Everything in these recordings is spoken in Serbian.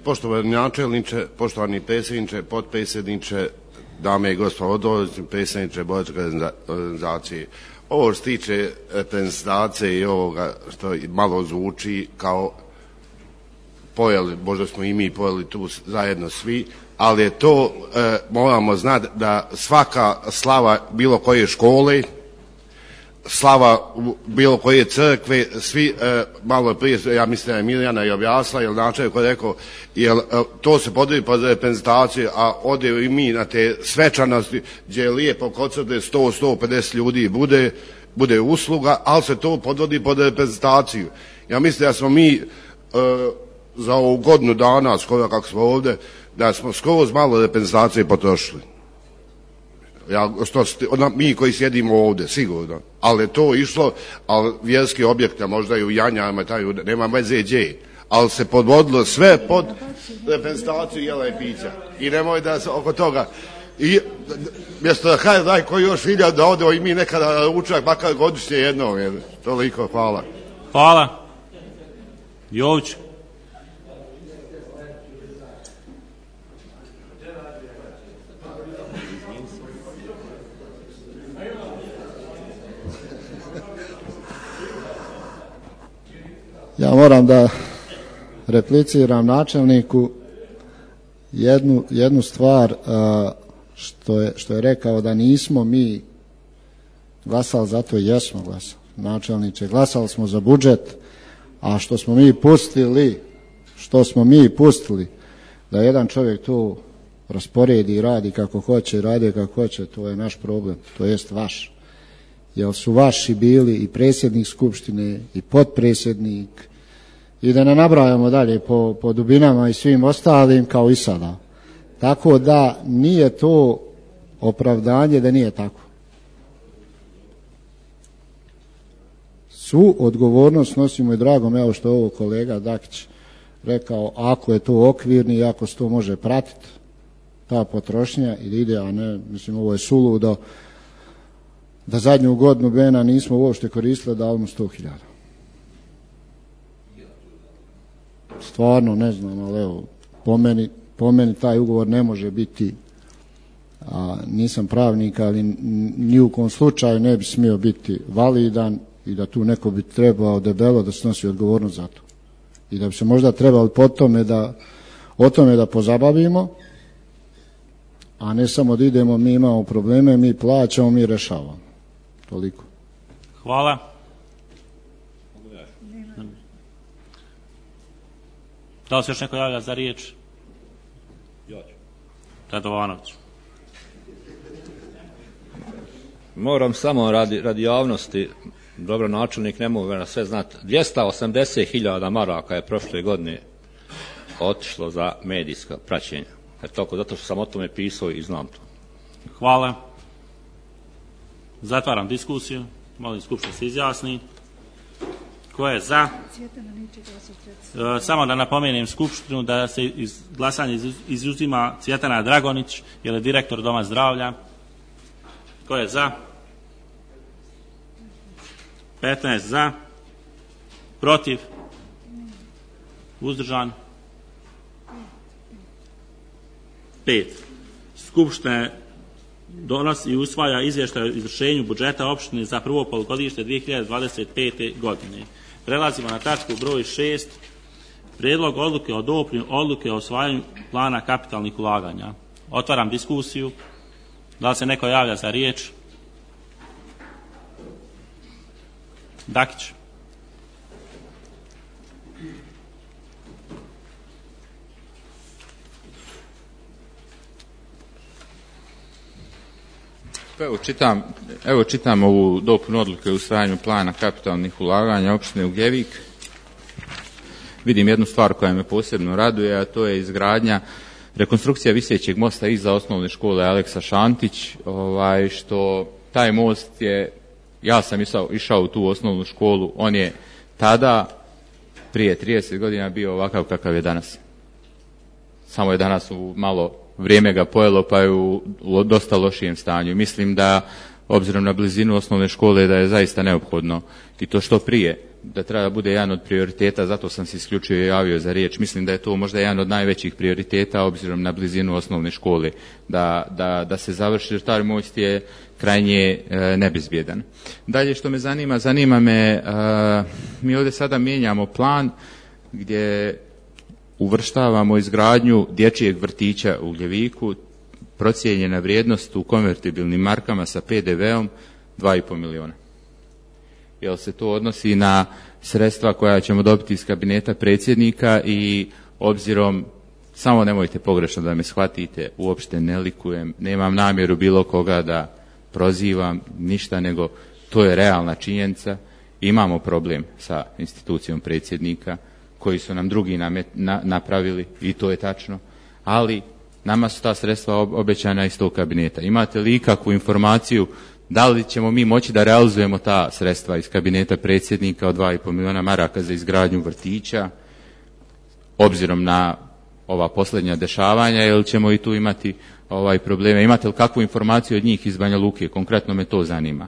Poštovani načelniče, poštovani predsjedniče, potpredsjedniče, dame i gospodo, predsjedniče boračke organizacije. Ovo što se tiče reprezentacije i ovoga što malo zvuči kao pojeli, možda smo i mi pojeli tu zajedno svi, ali je to, moramo znati da svaka slava bilo koje škole, slava bilo koje crkve, svi, malo prije, ja mislim da je Mirjana i objasnila, jer načelnik je rekao, jer to se podvodi pod reprezentaciju, a ode i mi na te svečanosti gdje je lijepo kod sebe 100-150 ljudi bude usluga, ali se to podvodi pod reprezentaciju. Ja mislim da smo mi za ovu godinu dana, skoro kako smo ovdje, da smo skroz malo reprezentacije potrošili. Mi koji sjedimo ovdje, sigurno. Ali je to išlo, ali vjerski objekte, možda i u Janjama, nema veze gdje. Ali se podvodilo sve pod reprezentaciju jela i pića. I nemoj da se oko toga. I mjesto da kaj daj koji još vidjeti da ode i mi nekada učak, makar godišnje jednom. Toliko, hvala. Hvala. Jović. Ja moram da repliciram načelniku jednu stvar što je rekao da nismo mi glasali, zato jesmo glasali. Načelniče, glasali smo za budžet, a što smo mi pustili da jedan čovjek to rasporedi i radi kako hoće, to je naš problem, to jest vaš. Jer su vaši bili i predsjednik skupštine i potpredsjednik i da ne nabrajamo dalje po dubinama i svim ostalim kao i sada. Tako da nije to opravdanje da nije tako. Svu odgovornost nosimo i drago me, evo što je ovo kolega Dakić rekao, ako je to okvirni i ako se to može pratiti, ta potrošnja ili ide, a ne, mislim ovo je suludo, da zadnju godinu Bena nismo uopšte koristili, dali mu 100.000. Stvarno ne znam, ali evo, po meni taj ugovor ne može biti, nisam pravnik, ali ni u kom slučaju ne bi smio biti validan i da tu neko bi trebao debelo da snosi odgovornost za to. I da bi se možda trebali o tome da pozabavimo, a ne samo da idemo, mi imamo probleme, mi plaćamo, mi rešavamo. Toliko. Hvala. Da li se još neko javlja za riječ? Radovanović. Moram samo radi javnosti, dobro, načelnik ne mogu na sve znati, 280.000 maraka je prošle godine otišlo za medijska praćenja. Zato što sam o tome pisao i znam to. Hvala. Zatvaram diskusiju. Molim skupštinu se izjasni. Ko je za? Samo da napomenem skupštinu da se iz glasanja izuzima Cvjetana Dragonić, jer je direktor Doma zdravlja. Ko je za? 15 za. Protiv? Uzdržan? 5. Skupština donosi i usvaja izvještaj o izvršenju budžeta opštine za prvo polugodište 2025. godine. Prelazimo na tačku broj 6. Prijedlog odluke o dopuni odluke o usvajanju plana kapitalnih ulaganja. Otvaram diskusiju. Da li se neko javlja za riječ? Dakić. Evo čitam ovu dopunu odluke o usvajanju plana kapitalnih ulaganja opštine Ugljevik. Vidim jednu stvar koja me posebno raduje, a to je izgradnja, rekonstrukcija visećeg mosta iza osnovne škole Aleksa Šantić, što taj most je, ja sam išao u tu osnovnu školu, on je tada, prije 30 godina bio ovakav kakav je danas. Samo je danas u malo vrijeme ga pojelo, pa je u dosta lošijem stanju. Mislim da obzirom na blizinu osnovne škole da je zaista neophodno i to što prije, da treba bude jedan od prioriteta, zato sam se isključio i javio za riječ. Mislim da je to možda jedan od najvećih prioriteta obzirom na blizinu osnovne škole, da se završi, jer taj most je krajnje nebezbjedan. Dalje što me zanima me, mi ovdje sada mijenjamo plan gdje uvrštavamo izgradnju dječjeg vrtića u Gljeviku, procijenjena vrijednost u konvertibilnim markama sa PDV-om 2,5 milijuna. Jel se to odnosi na sredstva koja ćemo dobiti iz kabineta predsjednika i obzirom, samo nemojte pogrešno da me shvatite, uopšte ne likujem, nemam namjeru bilo koga da prozivam, ništa, nego to je realna činjenica. Imamo problem sa institucijom predsjednika koji su nam drugi napravili i to je tačno, ali nama su ta sredstva obećana iz tog kabineta. Imate li ikakvu informaciju da li ćemo mi moći da realizujemo ta sredstva iz kabineta predsjednika od 2,5 milijuna maraka za izgradnju vrtića, obzirom na ova posljednja dešavanja, ili ćemo i tu imati probleme? Imate li kakvu informaciju od njih iz Banja Luke? Konkretno me to zanima.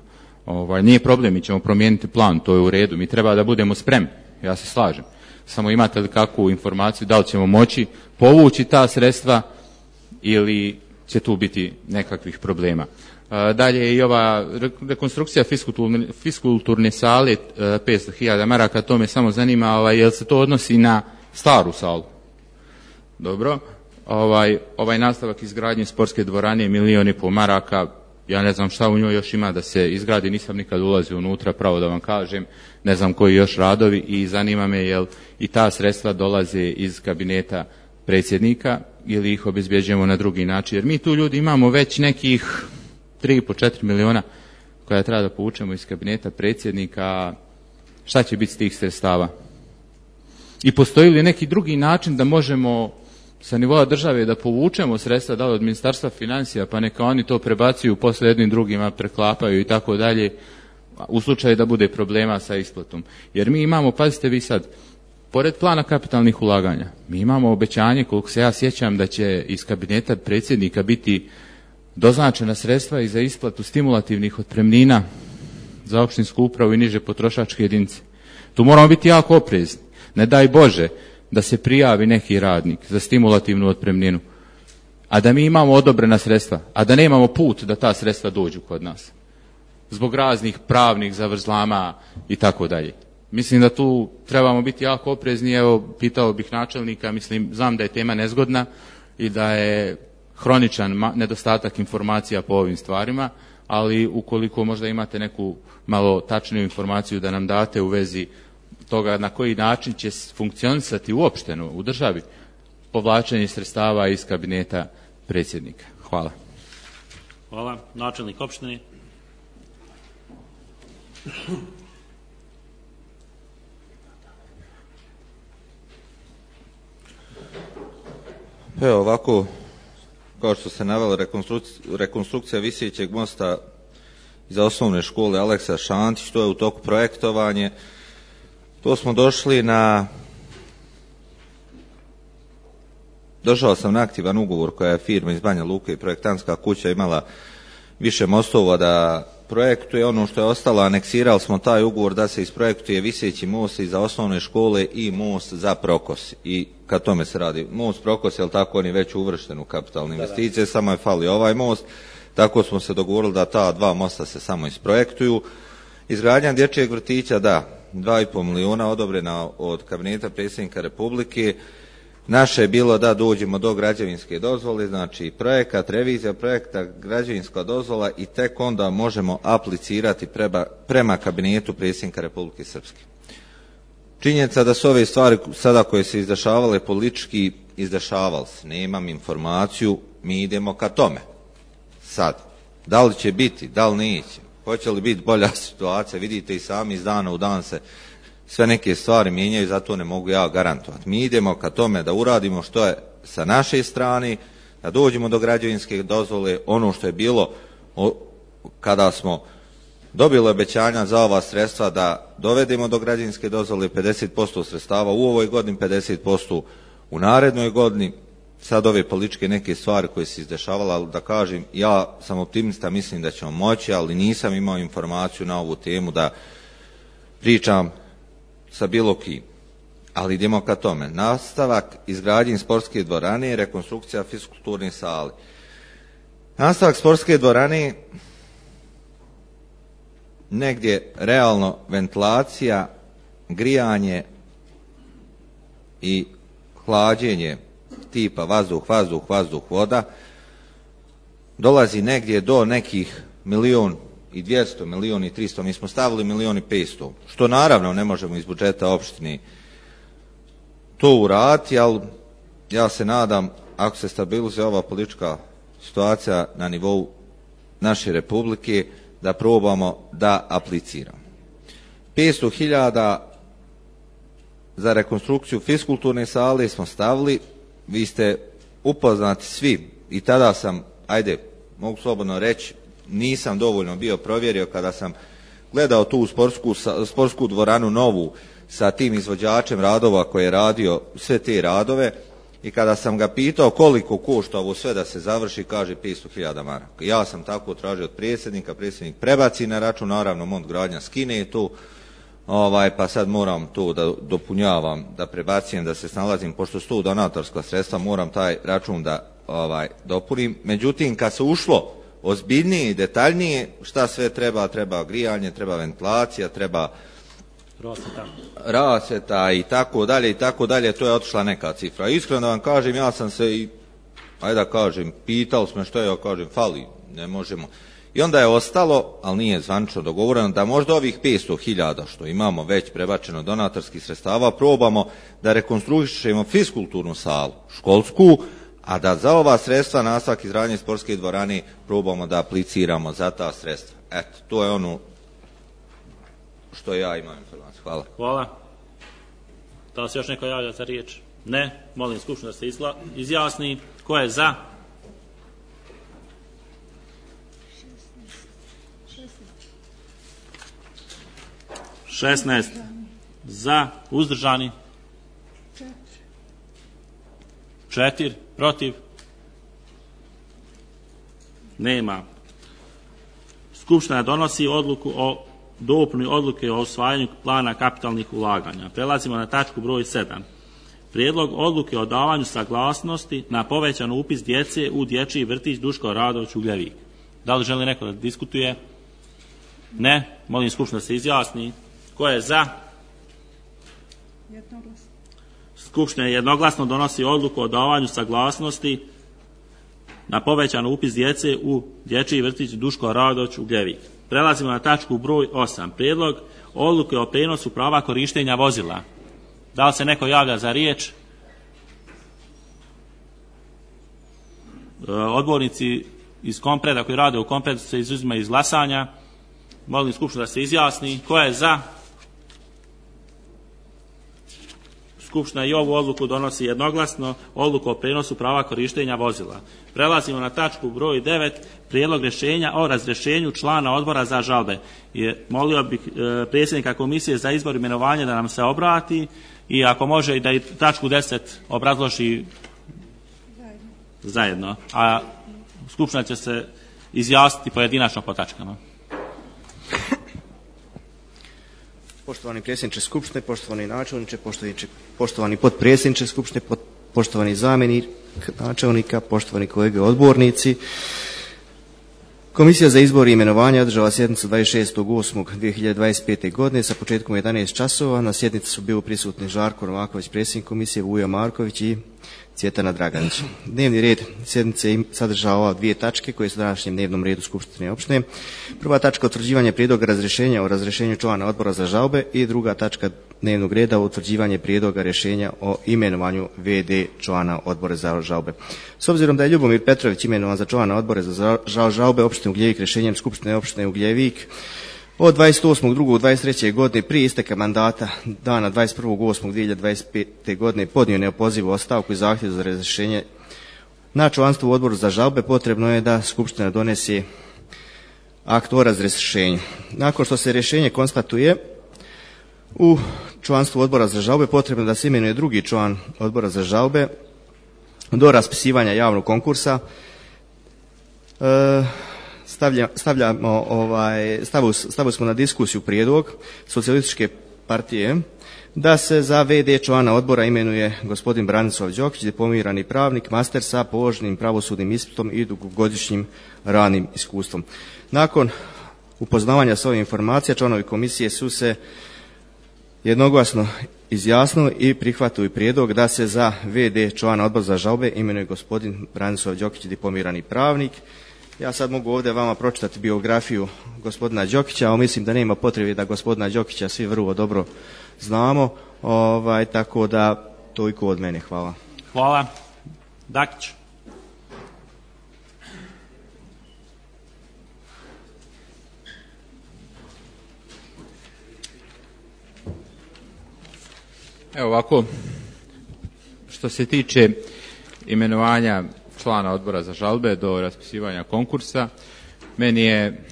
Nije problem, mi ćemo promijeniti plan, to je u redu, mi treba da budemo spremni, ja se slažem. Samo imate li kakvu informaciju, da li ćemo moći povući ta sredstva ili će tu biti nekakvih problema? Dalje i ova rekonstrukcija fiskulturne sale 500.000 maraka, to me samo zanima, jel se to odnosi na staru salu? Dobro. Ovaj nastavak izgradnje sportske dvorane 1,5 milijuna maraka, ja ne znam šta u njoj još ima da se izgradi, nisam nikad ulazio unutra, pravo da vam kažem, ne znam koji još radovi i zanima me jel i ta sredstva dolaze iz kabineta predsjednika ili ih obezbjeđujemo na drugi način, jer mi tu ljudi imamo već nekih 3,5-4 milijuna koja treba da povučemo iz kabineta predsjednika. Šta će biti s tih sredstava? I postoji li neki drugi način da možemo sa nivoa države da povučemo sredstva, da li od Ministarstva financija, pa neka oni to prebacuju, posle jednim drugima preklapaju i tako dalje, u slučaju da bude problema sa isplatom. Jer mi imamo, pazite vi sad, pored plana kapitalnih ulaganja, mi imamo obećanje, koliko se ja sjećam, da će iz kabineta predsjednika biti doznačena sredstva i za isplatu stimulativnih otpremnina za opštinsku upravu i niže potrošačke jedinice. Tu moramo biti jako oprezni. Ne daj Bože da se prijavi neki radnik za stimulativnu otpremninu, a da mi imamo odobrena sredstva, a da nemamo put da ta sredstva dođu kod nas. Zbog raznih pravnih zavrzlama i tako dalje. Mislim da tu trebamo biti jako oprezni. Evo, pitao bih načelnika, znam da je tema nezgodna i da je hroničan nedostatak informacija po ovim stvarima, ali ukoliko možda imate neku malo tačniju informaciju da nam date u vezi toga na koji način će funkcionisati uopšteno u državi povlačenje sredstava iz kabineta predsjednika. Hvala. Hvala. Načelnik opštine. Evo ovako, kao što se navela, rekonstrukcija visećeg mosta za osnovne škole Aleksa Šantić, to je u toku projektovanje. To smo došli došao sam na aktivan ugovor koja je firma iz Banja Luke i projektantska kuća imala više mostova da projektuje. Ono što je ostalo, aneksirali smo taj ugovor da se isprojektuje viseći most i za osnovne škole i most za Prokos. I kad tome se radi, most Prokos, jel tako, on je već uvršten u kapitalne investicije, samo je falio ovaj most. Tako smo se dogovorili da ta dva mosta se samo isprojektuju. Izgradnja dječjeg vrtića, da, 2,5 milijuna odobrena od kabineta predsjednika Republike. Naše je bilo da dođemo do građevinske dozvole, znači projekat, revizija projekta, građevinska dozvola i tek onda možemo aplicirati prema kabinetu predsjednika Republike Srpske. Činjenica da su ove stvari sada koje se izdešavale politički izdešavali se, nemam informaciju, mi idemo ka tome. Sad, da li će biti, da li neće, hoće li biti bolja situacija, vidite i sami iz dana u dan se sve neke stvari mijenjaju, zato ne mogu ja garantovati. Mi idemo ka tome da uradimo što je sa naše strane, da dođemo do građevinske dozvole, ono što je bilo kada smo dobili obećanja za ova sredstva da dovedemo do građevinske dozvole 50% sredstava u ovoj godini, 50% u narednoj godini. sad ove političke neke stvari koje se izdešavale, ali da kažem, ja sam optimista, mislim da ćemo moći, ali nisam imao informaciju na ovu temu da pričam sa bilo kim. Ali idemo ka tome. Nastavak izgradnje sportske dvorane i rekonstrukcija fiskulturne sale. Nastavak sportske dvorane, negdje realno ventilacija, grijanje i hlađenje tipa vazduh, vazduh, vazduh, voda, dolazi negdje do nekih 1.200.000, 1.300.000, mi smo stavili 1.500.000, što naravno ne možemo iz budžeta opštine to uraditi, ali ja se nadam, ako se stabilizuje ova politička situacija na nivou naše republike, da probamo da apliciramo. 500.000 za rekonstrukciju fiskulturne sale smo stavili. Vi ste upoznati svi i tada sam, ajde, mogu slobodno reći, nisam dovoljno bio provjerio kada sam gledao tu sportsku dvoranu novu sa tim izvođačem radova koji je radio sve te radove i kada sam ga pitao koliko košta ovo sve da se završi, kaže 500.000 maraka. Ja sam tako tražio od predsjednika, predsjednik prebaci na račun, naravno Mont gradnja skine to, pa sad moram to da dopunjavam, da prebacijem, da se snalazim, pošto su to donatorska sredstva, moram taj račun da dopunim. Međutim, kad se ušlo ozbiljnije i detaljnije, šta sve treba, treba grijanje, treba ventilacija, treba rasvjeta i tako dalje, to je otišla neka cifra. Iskreno da vam kažem, ja sam se i, ajde da kažem, pitao smo što je, ja kažem, fali, ne možemo. I onda je ostalo, ali nije zvanično dogovoreno, da možda ovih 500.000 što imamo već prebačeno donatorskih sredstava probamo da rekonstruišemo fiskulturnu salu, školsku, a da za ova sredstva nastavak izgradnje sportske dvorane probamo da apliciramo za ta sredstva. Eto, to je ono što ja imam informaciju. Hvala. Hvala. Da li se još neko javlja za riječ? Ne. Molim skupštinu da se izjasni. Ko je za? Šesnaest za, uzdržani 4, protiv nema. Skupština donosi odluku o dopuni odluke o usvajanju plana kapitalnih ulaganja. Prelazimo na tačku broj 7. Prijedlog odluke o davanju saglasnosti na povećan upis djece u dječji vrtić Duško Radović Ugljevik. Da li želi neko da diskutuje? Ne. Molim skupštinu da se izjasni. Ko je za? Skupština jednoglasno donosi odluku o davanju saglasnosti na povećan upis djece u dječji vrtić Duško Radović Ugljevik. Prelazimo na tačku broj 8. Prijedlog odluke o prijenosu prava korištenja vozila. Da li se neko javlja za riječ? Odbornici iz Kompreda koji rade u Kompredu se izuzimaju iz glasanja. Molim skupštinu da se izjasni. Ko je za? Skupština i ovu odluku donosi jednoglasno, odluku o prijenosu prava korištenja vozila. Prelazimo na tačku broj 9, prijedlog rješenja o razrješenju člana odbora za žalbe. Molio bih predsjednika komisije za izbor i imenovanje da nam se obrati i ako može i da i tačku 10 obrazloži zajedno. A skupština će se izjasniti pojedinačno po tačkama. Poštovani predsjedniče Skupštine, poštovani načelniče, poštovani potpredsjedniče Skupštine, poštovani zamjenik načelnika, poštovani kolege odbornici. Komisija za izbor i imenovanje održala sjednicu 26.8.2025. godine sa početkom 11 časova. Na sjednici su bili prisutni Žarko Novaković, predsjednik komisije, Vujo Marković i Cvjetana Draganić. Dnevni red sjednice sadržava dvije tačke koje su u današnjem dnevnom redu Skupštine opštine. Prva tačka utvrđivanje prijedloga razrješenja o razrješenju člana odbora za žalbe i druga tačka dnevnog reda utvrđivanje prijedloga rješenja o imenovanju VD člana odbora za žalbe. S obzirom da je Ljubomir Petrović imenovan za člana odbora za žalbe opštine Ugljevik rješenjem Skupštine opštine Ugljevik od 28.2.23. godine prije isteka mandata dana 21.8.2025. godine podnio neopozivu ostavku i zahtjev za razrješenje na članstvo u odboru za žalbe, potrebno je da Skupština donese akt o razrješenju. Nakon što se rješenje konstatuje u članstvu odbora za žalbe, potrebno da se imenuje drugi član odbora za žalbe do raspisivanja javnog konkursa stavili smo na diskusiju prijedlog Socijalističke partije da se za VD člana odbora imenuje gospodin Branislav Đokić, diplomirani pravnik, master sa položenim pravosudnim ispitom i dugogodišnjim radnim iskustvom. Nakon upoznavanja s ovim informacija, članovi komisije su se jednoglasno izjasnili i prihvatili prijedlog da se za VD člana odbora za žalbe imenuje gospodin Branislav Đokić, diplomirani pravnik. Ja sad mogu ovdje vama pročitati biografiju gospodina Đokića, ali mislim da nema potrebe da gospodina Đokića svi vrlo dobro znamo, tako da toliko od mene. Hvala. Hvala. Dakić. Evo ovako, što se tiče imenovanja člana odbora za žalbe do raspisivanja konkursa, meni je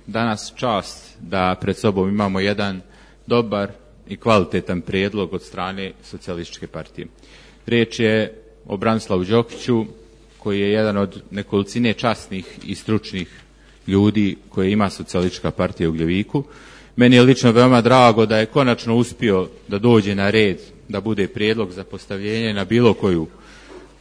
danas čast da pred sobom imamo jedan dobar i kvalitetan prijedlog od strane Socijalističke partije. Riječ je o Branislavu Đokiću, koji je jedan od nekolicine časnih i stručnih ljudi koje ima Socijalistička partija u Gljeviku. Meni je lično veoma drago da je konačno uspio da dođe na red, da bude prijedlog za postavljenje na bilo koju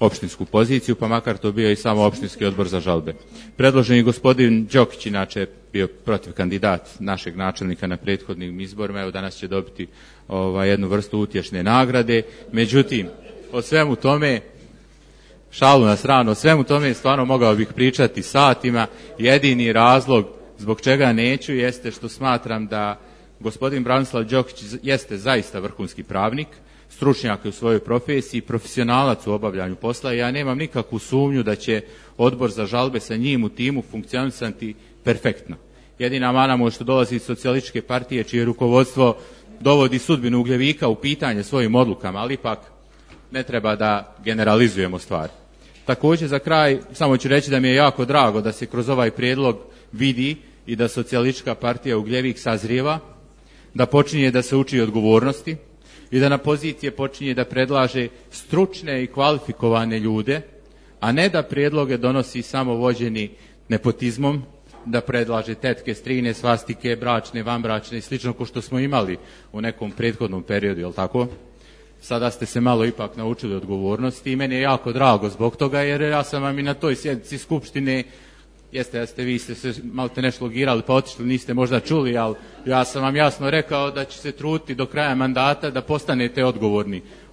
opštinsku poziciju, pa makar to bio i samo opštinski odbor za žalbe. Predloženi gospodin Đokić, inače bio protiv kandidat našeg načelnika na prethodnim izborima, evo danas će dobiti jednu vrstu utješne nagrade. Međutim, o svemu tome, šalu na stranu, o svemu tome stvarno mogao bih pričati satima. Jedini razlog zbog čega neću jeste što smatram da gospodin Branislav Đokić jeste zaista vrhunski pravnik, stručnjak u svojoj profesiji, profesionalac u obavljanju posla i ja nemam nikakvu sumnju da će odbor za žalbe sa njim u timu funkcionisati perfektno. Jedina mana mu što dolazi iz Socijalističke partije, čije rukovodstvo dovodi sudbinu Ugljevika u pitanje svojim odlukama, ali ipak ne treba da generalizujemo stvari. Također za kraj samo ću reći da mi je jako drago da se kroz ovaj prijedlog vidi i da Socijalistička partija Ugljevik sazrijeva, da počinje da se uči odgovornosti i da na pozicije počinje da predlaže stručne i kvalifikovane ljude, a ne da prijedloge donosi samo vođeni nepotizmom, da predlaže tetke, strine, svastike, bračne, vanbračne i slično ko što smo imali u nekom prethodnom periodu, jel tako? Sada ste se malo ipak naučili odgovornosti i meni je jako drago zbog toga, jer ja sam vam i na toj sjednici Skupštine, vi ste se malo te nešto logirali pa otišli, niste možda čuli, ali ja sam vam jasno rekao da će se truditi do kraja mandata da postanete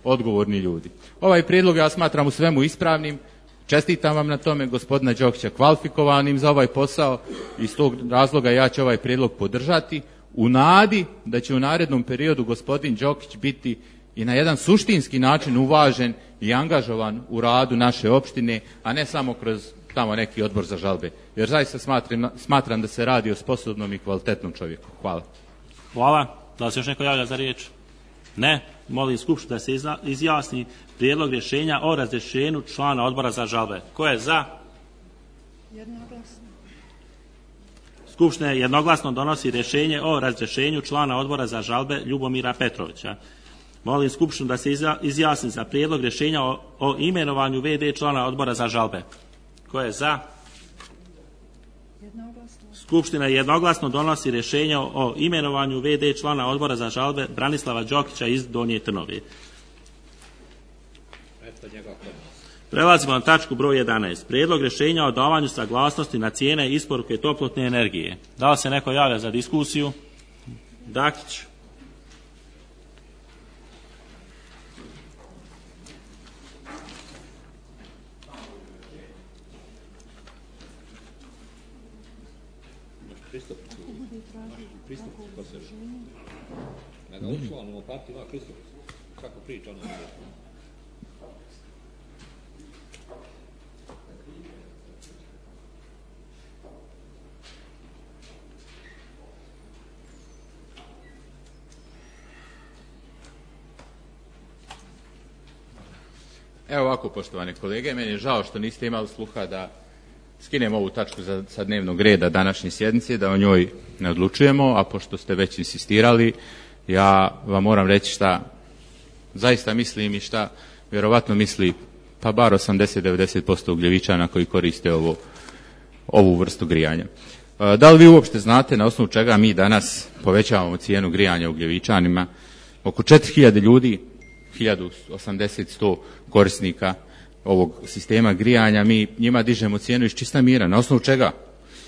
odgovorni ljudi. Ovaj prijedlog ja smatram u svemu ispravnim, čestitam vam na tome, gospodina Đokića kvalifikovanim za ovaj posao i iz tog razloga ja ću ovaj prijedlog podržati u nadi da će u narednom periodu gospodin Đokić biti i na jedan suštinski način uvažen i angažovan u radu naše opštine, a ne samo kroz tamo neki odbor za žalbe. Jer zaista smatram da se radi o sposobnom i kvalitetnom čovjeku. Hvala. Hvala. Da li se još neko javlja za riječ? Ne. Molim Skupštinu da se izjasni prijedlog rješenja o razrješenju člana odbora za žalbe. Ko je za? Jednoglasno. Skupština jednoglasno donosi rješenje o razrješenju člana odbora za žalbe Ljubomira Petrovića. Molim Skupštinu da se izjasni za prijedlog rješenja o imenovanju VD člana odbora za žalbe. Ko je za? Jednoglasno. Skupština jednoglasno donosi rješenje o imenovanju VD člana odbora za žalbe Branislava Đokića iz Donje Trnove. Prelazimo na tačku broj 11. Prijedlog rješenja o davanju saglasnosti na cijene isporuke toplotne energije. Da li se neko javlja za diskusiju? Dakić. Evo ovako, poštovane kolege, meni je žao što niste imali sluha da skinemo ovu tačku sa dnevnog reda današnje sjednice, da o njoj ne odlučujemo, a pošto ste već insistirali, ja vam moram reći šta zaista mislim i šta vjerovatno misli pa bar 80-90% Ugljevičana koji koriste ovu vrstu grijanja. Da li vi uopšte znate na osnovu čega mi danas povećavamo cijenu grijanja Ugljevičanima? Oko 4000 ljudi, 1080-100 korisnika ovog sistema grijanja, mi njima dižemo cijenu iz čista mira. Na osnovu čega?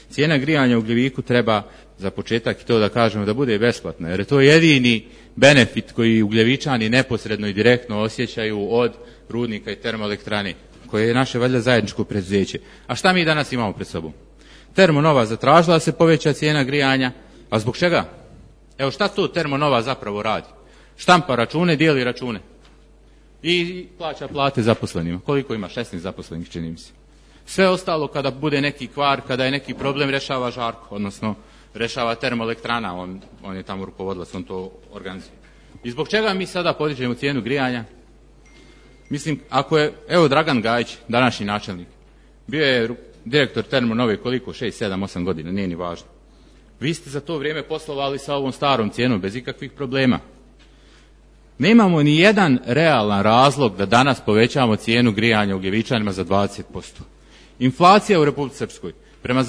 Cijena grijanja u Ugljeviku treba za početak i to da kažemo da bude besplatna, jer je to jedini benefit koji Ugljevičani neposredno i direktno osjećaju od rudnika i termoelektrane, koje je naše valjda zajedničko preduzeće. A šta mi danas imamo pred sobom? Termonova zatražila da se poveća cijena grijanja, a zbog čega? Evo šta to Termonova zapravo radi? Štampa račune, dijeli račune i plaća plate zaposlenima. Koliko ima? 16 zaposlenih, čini mi se. Sve ostalo kada bude neki kvar, kada je neki problem, rešava Žarko, odnosno rešava termoelektrana, on je tamo rukovodilac, on to organizuje. I zbog čega mi sada podižemo cijenu grijanja? Mislim, ako je, evo Dragan Gajić, današnji načelnik, bio je direktor Termonove koliko? 6, 7, 8 godina, nije ni važno. Vi ste za to vrijeme poslovali sa ovom starom cijenom bez ikakvih problema. Nemamo ni jedan realan razlog da danas povećamo cijenu grijanja Ugljevičanima za 20%. Inflacija u Republici Srpskoj prema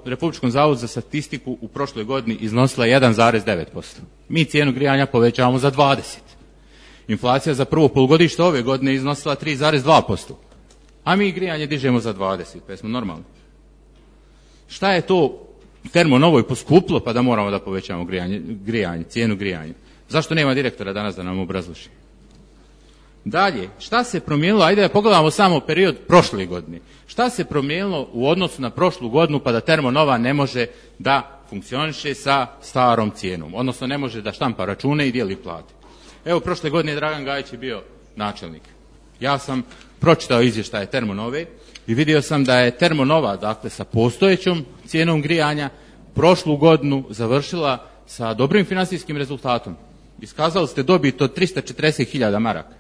Republičkom zavodu za statistiku u prošloj godini iznosila 1,9%. Mi cijenu grijanja povećavamo za 20%. Inflacija za prvo polugodište ove godine iznosila 3,2%. A mi grijanje dižemo za 20%. Pa smo normalni. Šta je to Termonovoj poskuplo pa da moramo da povećamo grijanje, cijenu grijanja? Zašto nema direktora danas da nam obrazloži? Dalje, šta se promijenilo? Ajde da pogledamo samo period prošle godine. Šta se promijenilo u odnosu na prošlu godinu pa da Termonova ne može da funkcioniše sa starom cijenom? Odnosno ne može da štampa račune i dijeli plate. Evo, prošle godine Dragan Gajić je bio načelnik. Ja sam pročitao izvještaje Termonove i vidio sam da je Termonova, dakle sa postojećom cijenom grijanja, prošlu godinu završila sa dobrim financijskim rezultatom. Iskazali ste dobit od 340.000 maraka.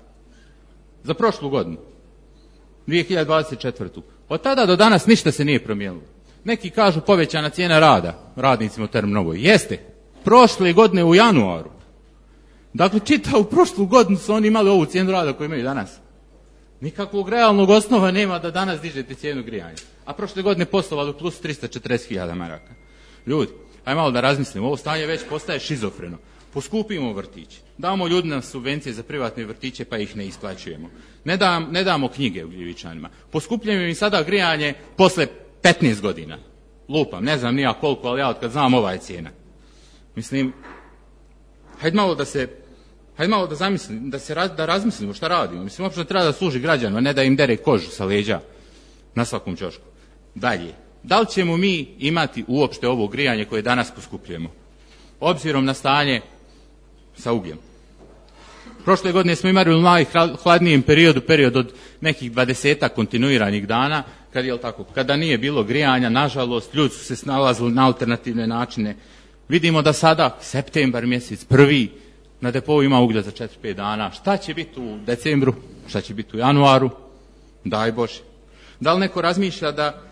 Za prošlu godinu. 2024. Od tada do danas ništa se nije promijenilo. Neki kažu povećana cijena rada radnicima u Termonovoj. Jeste. Prošle godine u januaru. Dakle, čitavu prošlu godinu su oni imali ovu cijenu rada koju imaju danas. Nikakvog realnog osnova nema da danas dižete cijenu grijanja. A prošle godine poslovali u plus 340.000 maraka. Ljudi, aj malo da razmislimo. Ovo stanje već postaje šizofreno. Poskupimo vrtiće. Damo ljudima subvencije za privatne vrtiće pa ih ne isplaćujemo. Ne damo knjige Ugljevičanima. Poskupljujemo im sada grijanje posle 15 godina. Lupam, ne znam nija koliko, ali ja od kad znam ova je cijena. Mislim, hajde malo da razmislimo šta radimo. Mislim, uopšte treba da služi građanima, ne da im dere kožu sa leđa na svakom ćošku. Dalje, da li ćemo mi imati uopšte ovo grijanje koje danas poskupljujemo? Obzirom na stanje sa ugljem. Prošle godine smo imali u najhladnijem periodu, period od nekih 20 kontinuiranih dana, kada nije bilo grijanja, nažalost, ljudi su se snalazili na alternativne načine. Vidimo da sada, septembar mjesec, prvi, na depou ima uglja za 4-5 dana. Šta će biti u decembru? Šta će biti u januaru? Daj Bože. Da li neko razmišlja da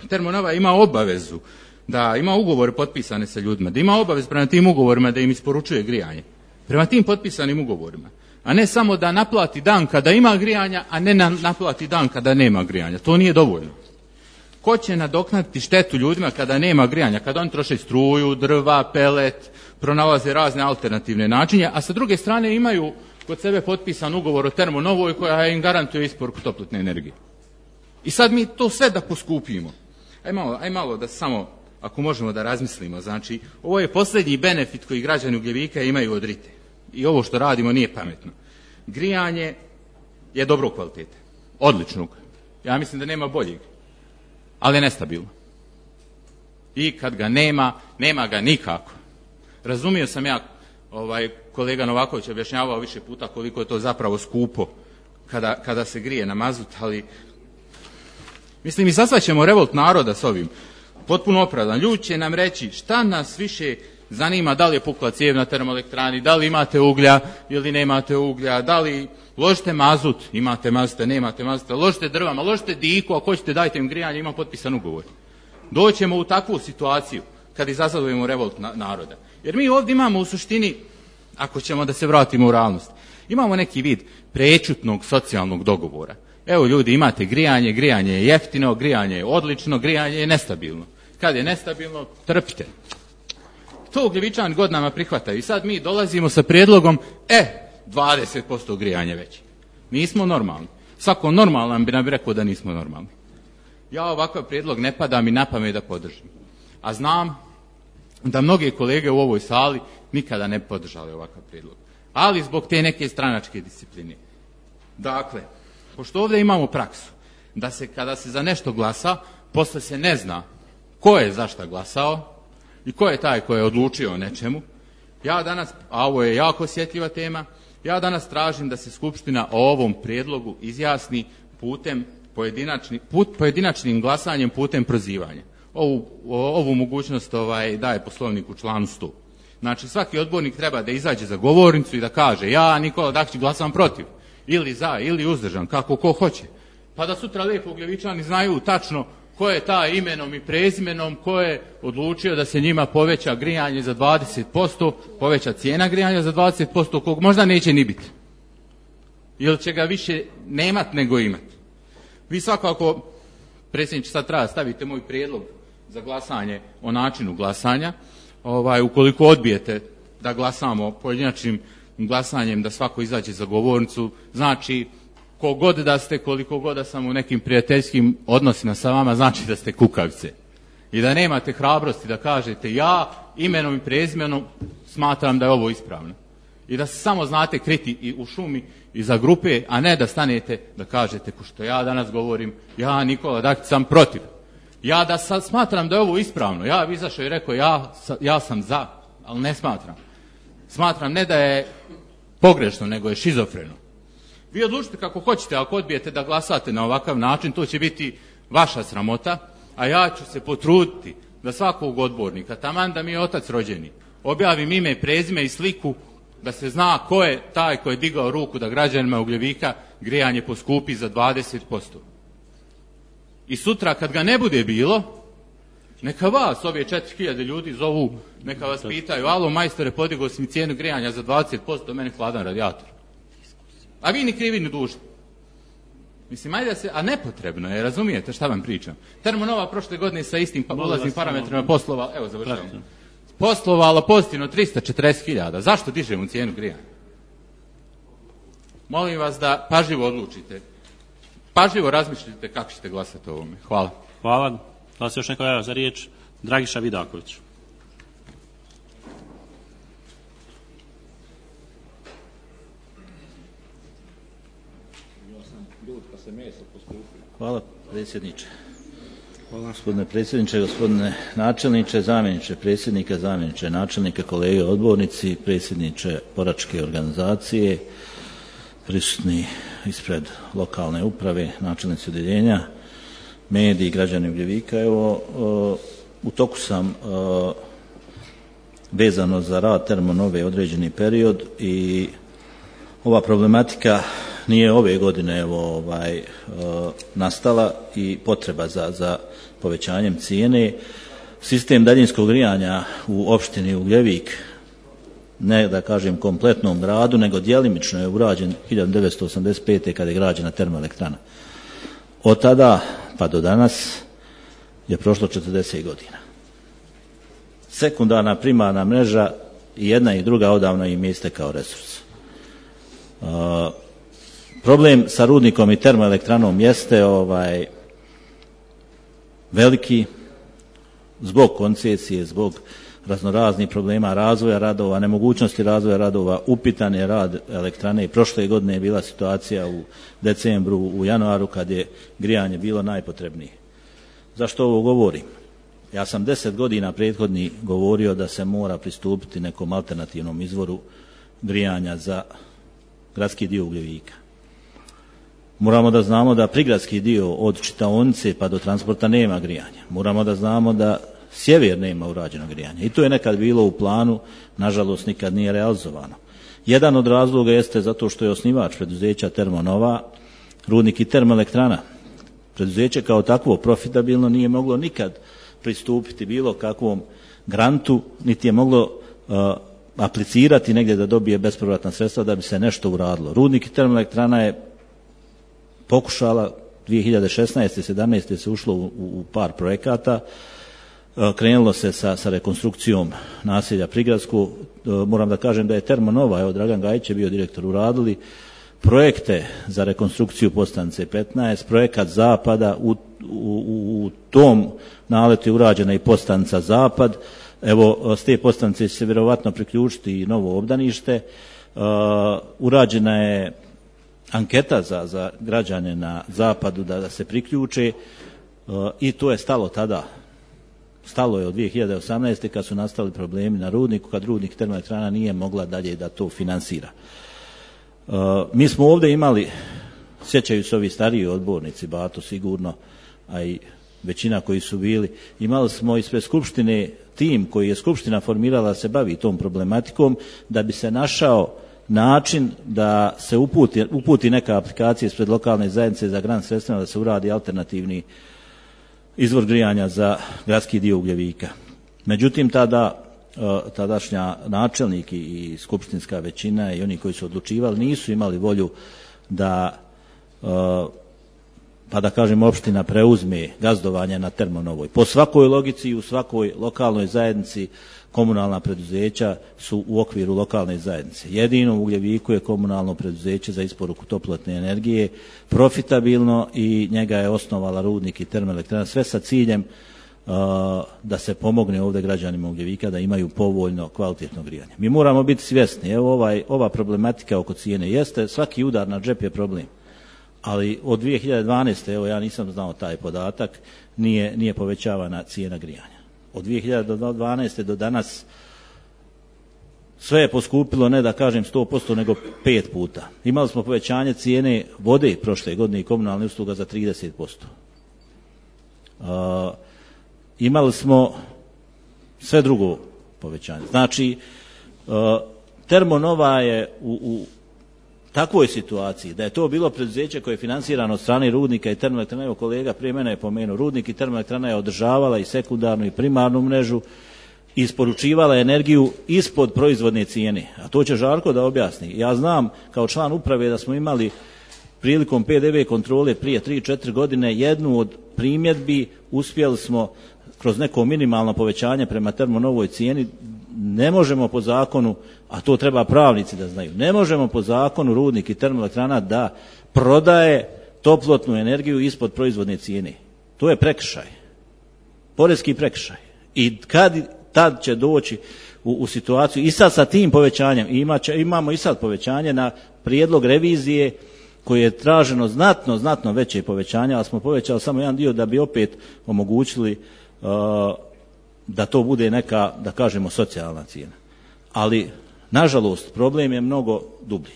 Termonova ima obavezu, da ima ugovore potpisane sa ljudima, da ima obavez prema tim ugovorima da im isporučuje grijanje. Prema tim potpisanim ugovorima. A ne samo da naplati dan kada ima grijanja, a ne naplati dan kada nema grijanja. To nije dovoljno. Ko će nadoknaditi štetu ljudima kada nema grijanja, kada oni troše struju, drva, pelet, pronalaze razne alternativne načine, a sa druge strane imaju kod sebe potpisan ugovor o Termonovoj koja im garantuje isporuku toplotne energije. I sad mi to sve da poskupimo. Aj malo da samo, ako možemo da razmislimo, znači, ovo je posljednji benefit koji građani Ugljevika imaju od RITE. I ovo što radimo nije pametno. Grijanje je dobrog kvaliteta. Odličnog. Ja mislim da nema boljeg. Ali je nestabilno. I kad ga nema ga nikako. Razumio sam ja, kolega Novaković objašnjavao više puta koliko je to zapravo skupo kada se grije na mazut, ali mislim, izazvaćemo revolt naroda s ovim. Potpuno opravdan. Ljudi će nam reći šta nas više zanima, da li je pukla cijev na termoelektrani, da li imate uglja ili nemate uglja, da li ložite mazut, imate mazuta, nemate mazuta, ložite drvama, ložite diku, ako hoćete dajte im grijanje, ima potpisan ugovor. Doćemo u takvu situaciju kad izazovemo revolt naroda. Jer mi ovdje imamo u suštini ako ćemo da se vratimo u realnost. Imamo neki vid prečutnog socijalnog dogovora. Evo ljudi, imate grijanje, grijanje je jeftino, grijanje je odlično, grijanje je nestabilno. Kad je nestabilno, trpite. To Ugljevičani godinama prihvataju i sad mi dolazimo sa prijedlogom 20% grijanje veće. Nismo normalni. Svako normalan bi nam rekao da nismo normalni. Ja ovakav prijedlog ne pada mi na pamet da podržim. A znam da mnoge kolege u ovoj sali nikada ne podržali ovakav prijedlog. Ali zbog te neke stranačke discipline. Dakle, pošto ovdje imamo praksu da se kada se za nešto glasa, posle se ne zna ko je za šta glasao i ko je taj ko je odlučio o nečemu, ja danas, a ovo je jako osjetljiva tema, ja danas tražim da se Skupština o ovom prijedlogu izjasni putem pojedinačnim glasanjem, putem prozivanja. Ovu mogućnost daje Poslovnik u članu 100. Znači, svaki odbornik treba da izađe za govornicu i da kaže ja, Nikola Dakić, glasam protiv, ili za, ili uzdržan, kako ko hoće. Pa da sutra lijepo Ugljevičani znaju tačno ko je taj imenom i prezimenom, ko je odlučio da se njima poveća grijanje za 20%, poveća cijena grijanja za 20%, kog možda neće ni biti. Ili će ga više nemat nego imat. Vi svakako, predsjedniče, sad treba stavite moj prijedlog za glasanje o načinu glasanja. Ukoliko odbijete da glasamo pojedinačnim glasanjem, da svako izađe za govornicu, znači kogod da ste, koliko god da sam u nekim prijateljskim odnosima sa vama, znači da ste kukavice. I da nemate hrabrosti da kažete ja imenom i prezimenom smatram da je ovo ispravno. I da se samo znate kriti i u šumi iza grupe, a ne da stanete da kažete ko što ja danas govorim, ja Nikola Dakić sam protiv. Ja da sad smatram da je ovo ispravno, ja bi izašao i rekao ja sam za, ali ne smatram. Smatram ne da je pogrešno, nego je šizofreno. Vi odlučite kako hoćete, ako odbijete da glasate na ovakav način, to će biti vaša sramota, a ja ću se potruditi da svakog odbornika, taman da mi je otac rođeni, objavim ime, prezime i sliku, da se zna ko je taj ko je digao ruku da građanima Ugljevika grijanje poskupi za 20%. I sutra kad ga ne bude bilo, neka vas, ove 4000 ljudi zovu, neka vas pitaju, alo majstore, podigao si mi cijenu grijanja za 20%, meni hladan radijator. A vi ni krivi ni dužni. Mislim, ajde se, a nepotrebno je, razumijete šta vam pričam. Termonova prošle godine sa istim ulaznim parametrima poslovala, evo završavam, poslovala pozitivno 340.000. Zašto dižemo cijenu grijanja? Molim vas da pažljivo odlučite. Pažljivo razmišljite kako ćete glasati o ovome. Hvala. Hvala. Da se još neko javlja za riječ? Dragiša Vidaković. Hvala predsjedniče. Hvala gospodine predsjedniče, gospodine načelniče, zamjeniče predsjednika, zamjeniče načelnika, kolege odbornici, predsjedniče boračke organizacije, prisutni ispred lokalne uprave, načelnici odjeljenja, mediji, građani Ugljevika. Evo, u toku sam vezano za rad Termonove određeni period i ova problematika nije ove godine nastala i potreba za povećanjem cijene. Sistem daljinskog grijanja u opštini Ugljevik, ne da kažem kompletnom gradu, nego djelimično je urađen 1985. kada je građena termoelektrana. Od tada pa do danas je prošlo 40 godina. Sekundarna, primarna mreža i jedna i druga odavno im je istekao resurs. Problem sa rudnikom i termoelektranom jeste veliki zbog koncesije, zbog raznoraznih problema razvoja radova, nemogućnosti razvoja radova, upitan je rad elektrane i prošle godine je bila situacija u decembru, u januaru kad je grijanje bilo najpotrebnije. Zašto ovo govorim? Ja sam 10 godina prethodni govorio da se mora pristupiti nekom alternativnom izvoru grijanja za gradski dio Ugljevika. Moramo da znamo da prigradski dio od čitaonice pa do transporta nema grijanja. Moramo da znamo da sjever nema urađeno grijanje. I to je nekad bilo u planu, nažalost nikad nije realizovano. Jedan od razloga jeste zato što je osnivač preduzeća Termonova rudnik i termoelektrana. Preduzeće kao takvo profitabilno nije moglo nikad pristupiti bilo kakvom grantu, niti je moglo aplicirati negdje da dobije bespovratna sredstva da bi se nešto uradilo. Rudnik i termoelektrana je pokušala 2016. 17. se ušlo u par projekata, krenulo se sa rekonstrukcijom naselja Prigradsko. Moram da kažem da je Termonova, evo Dragan Gajić je bio direktor, uradili projekte za rekonstrukciju Podstanice 15, projekat Zapada, u tom naletu je urađena i Podstanica Zapad. Evo, s te Podstanice će se vjerovatno priključiti i novo obdanište. Urađena je anketa za građane na Zapadu da se priključe i to je stalo tada. Stalo je od 2018. kad su nastali problemi na rudniku, kad rudnik termoelektrana nije mogla dalje da to finansira. Mi smo ovdje imali, sjećaju se ovi stariji odbornici, Bato sigurno, a i većina koji su bili, imali smo ispred Skupštine tim koji je Skupština formirala da se bavi tom problematikom, da bi se našao način da se uputi neka aplikacija ispred lokalne zajednice za grant sredstvima da se uradi alternativni izvor grijanja za gradski dio Ugljevika. Međutim, tadašnja načelnik i skupštinska većina i oni koji su odlučivali nisu imali volju da, pa da kažem, opština preuzme gazdovanje na Termonovoj. Po svakoj logici i u svakoj lokalnoj zajednici komunalna preduzeća su u okviru lokalne zajednice. Jedino u Ugljeviku je komunalno preduzeće za isporuku toplotne energije profitabilno i njega je osnovala rudnik i termoelektrana, sve sa ciljem da se pomogne ovdje građanima Ugljevika da imaju povoljno kvalitetno grijanje. Mi moramo biti svjesni, evo ova problematika oko cijene jeste, svaki udar na džep je problem, ali od 2012. evo ja nisam znao taj podatak, nije povećavana cijena grijanja. Od 2012. do danas sve je poskupilo, ne da kažem 100%, nego 5 puta. Imali smo povećanje cijene vode prošle godine i komunalne usluga za 30%. Imali smo sve drugo povećanje. Znači, Termonova je u takvoj situaciji da je to bilo preduzeće koje je finansirano od strane rudnika i termoelektrana. Evo kolega prije mene je pomenuo, rudnik i termoelektrana je održavala i sekundarnu i primarnu mrežu, isporučivala energiju ispod proizvodne cijene. A to će Žarko da objasni. Ja znam kao član uprave da smo imali prilikom PDV kontrole prije 3-4 godine jednu od primjedbi, uspjeli smo kroz neko minimalno povećanje prema Termonovoj cijeni, ne možemo po zakonu, a to treba pravnici da znaju, ne možemo po zakonu rudnik i termoelektrana da prodaje toplotnu energiju ispod proizvodne cijene. To je prekršaj, porezki prekršaj. I tad će doći u situaciju, i sad sa tim povećanjem, imamo i sad povećanje na prijedlog revizije koje je traženo znatno veće povećanje, ali smo povećali samo jedan dio da bi opet omogućili da to bude neka, da kažemo, socijalna cijena. Ali, nažalost, problem je mnogo dublji.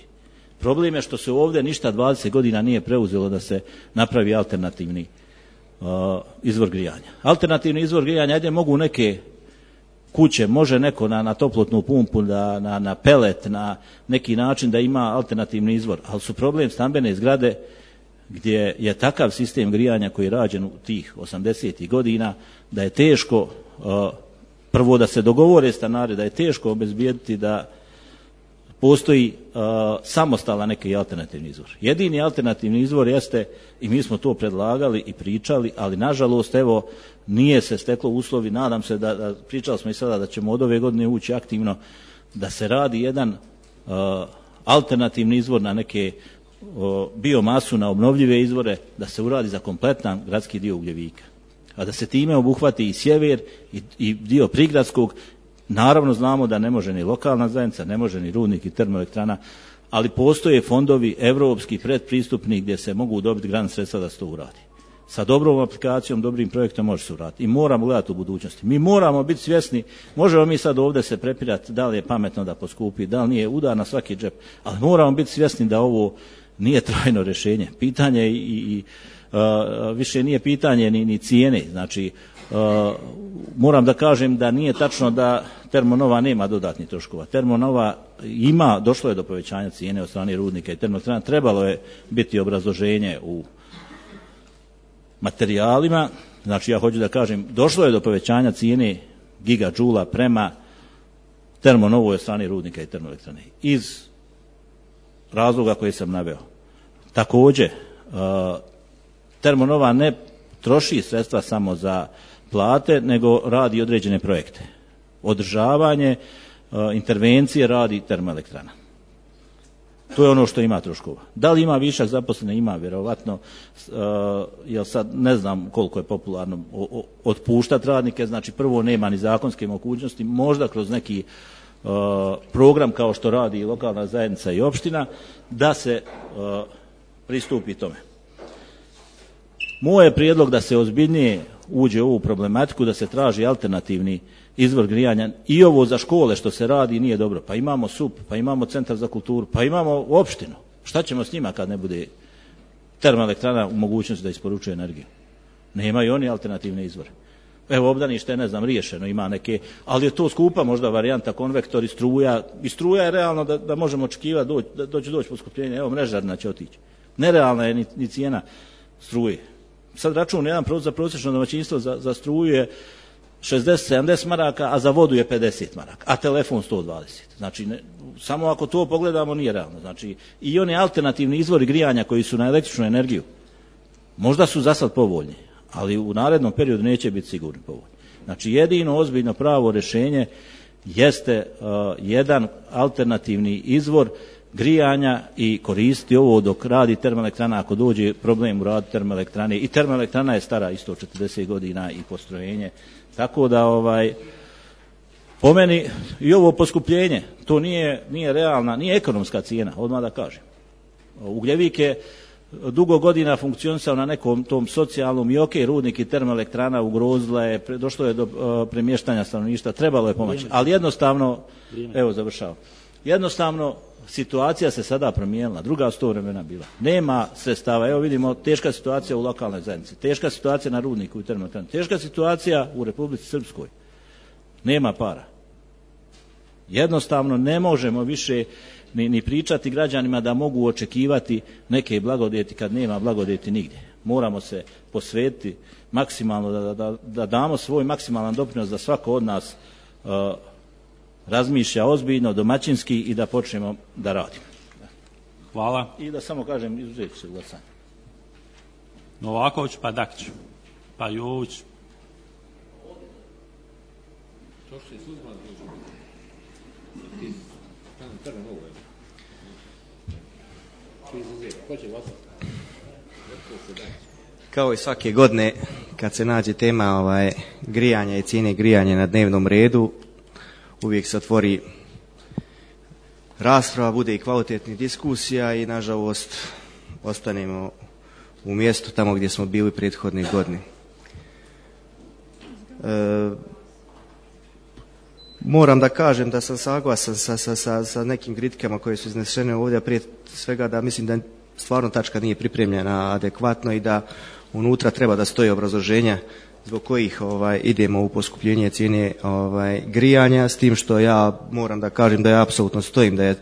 Problem je što se ovdje ništa 20 godina nije preuzelo da se napravi alternativni izvor grijanja. Alternativni izvor grijanja, ajde mogu neke kuće, može neko na toplotnu pumpu, na pelet, na neki način da ima alternativni izvor, ali su problem stambene zgrade gdje je takav sistem grijanja koji je rađen u tih 80. godina da je teško, prvo da se dogovore stanari, da je teško obezbijediti da postoji samostalan neki alternativni izvor. Jedini alternativni izvor jeste, i mi smo to predlagali i pričali, ali nažalost evo nije se steklo uslovi, nadam se da pričali smo i sada da ćemo od ove godine ući aktivno da se radi jedan alternativni izvor na neke biomasu, na obnovljive izvore, da se uradi za kompletan gradski dio Ugljevika. A da se time obuhvati i sjever i dio prigradskog. Naravno znamo da ne može ni lokalna zajednica, ne može ni rudnik i termoelektrana, ali postoje fondovi evropski, predpristupni, gdje se mogu dobiti grant sredstva da se to uradi. Sa dobrom aplikacijom, dobrim projektom može se uraditi. I moramo gledati u budućnosti. Mi moramo biti svjesni, možemo mi sad ovdje se prepirati da li je pametno da poskupi, da li nije, udar na svaki džep, ali moramo biti svjesni da ovo nije trajno rješenje. Pitanje više nije pitanje ni cijene. Znači, moram da kažem da nije tačno da Termonova nema dodatnih troškova. Termonova ima, došlo je do povećanja cijene od strane rudnika i termoelektrana. Trebalo je biti obrazloženje u materijalima. Znači, ja hoću da kažem, došlo je do povećanja cijene gigadžula prema Termonovoj od strane rudnika i termoelektrane. Iz razloga koje sam naveo. Također, Termonova ne troši sredstva samo za plate, nego radi određene projekte. Održavanje, intervencije radi termoelektrana. To je ono što ima troškova. Da li ima višak zaposlene? Ima, vjerovatno, jer sad ne znam koliko je popularno otpuštati radnike, znači prvo nema ni zakonske mogućnosti, možda kroz neki program kao što radi lokalna zajednica i opština, da se pristupi tome. Moj je prijedlog da se ozbiljnije uđe u ovu problematiku, da se traži alternativni izvor grijanja. I ovo za škole što se radi nije dobro. Pa imamo SUP, pa imamo Centar za kulturu, pa imamo opštinu. Šta ćemo s njima kad ne bude termoelektrana u mogućnosti da isporučuje energiju? Nemaju oni alternativne izvore. Evo, obdanište je, ne znam, riješeno, ima neke, ali je to skupa možda varijanta, konvektor i struja. I struja je realno da možemo očekivati da će doći poskupljenje. Evo, mrežarina će otići. Nerealna je ni cijena struje. Sad račun jedan za prosječno domaćinstvo za struju je 60-70 maraka, a za vodu je 50 maraka, a telefon 120. Znači, samo ako to pogledamo nije realno. Znači, i oni alternativni izvori grijanja koji su na električnu energiju, možda su za sad povoljni, ali u narednom periodu neće biti sigurno povoljni. Znači, jedino ozbiljno pravo rješenje jeste jedan alternativni izvor grijanja i koristiti ovo dok radi termoelektrana, ako dođe problem u radu termoelektrane. I termoelektrana je stara isto 40 godina i postrojenje. Tako da, po meni, i ovo poskupljenje, to nije realna, nije ekonomska cijena, odmah da kažem. Ugljevik je dugo godina funkcionisao na nekom tom socijalnom i rudnik i termoelektrana ugrozila je, došlo je do premještanja stanovništva, trebalo je pomoći. Ali jednostavno, evo završavam, jednostavno situacija se sada promijenila, druga su to vremena bila. Nema sredstava, evo vidimo teška situacija u lokalnoj zajednici, teška situacija na rudniku i termoelektrani, teška situacija u Republici Srpskoj. Nema para. Jednostavno ne možemo više ni pričati građanima da mogu očekivati neke blagodeti kad nema blagodeti nigdje. Moramo se posvetiti maksimalno, da damo svoj maksimalan doprinos da svako od nas razmišlja ozbiljno, domaćinski i da počnemo da radimo. Hvala. I da samo kažem, izuzet ću se glasanje. Novaković, pa Dakić, pa Jović. Kao i svake godine, kad se nađe tema grijanja i cijene grijanja na dnevnom redu, uvijek se otvori rasprava, bude i kvalitetnih diskusija i nažalost ostanemo u mjestu tamo gdje smo bili prethodne godine. Moram da kažem da sam saglasan sa nekim kritikama koje su iznesene ovdje, prije svega da mislim da stvarno tačka nije pripremljena adekvatno i da unutra treba da stoji obrazloženja zbog kojih idemo u poskupljenje cijene grijanja, s tim što ja moram da kažem da ja apsolutno stojim da je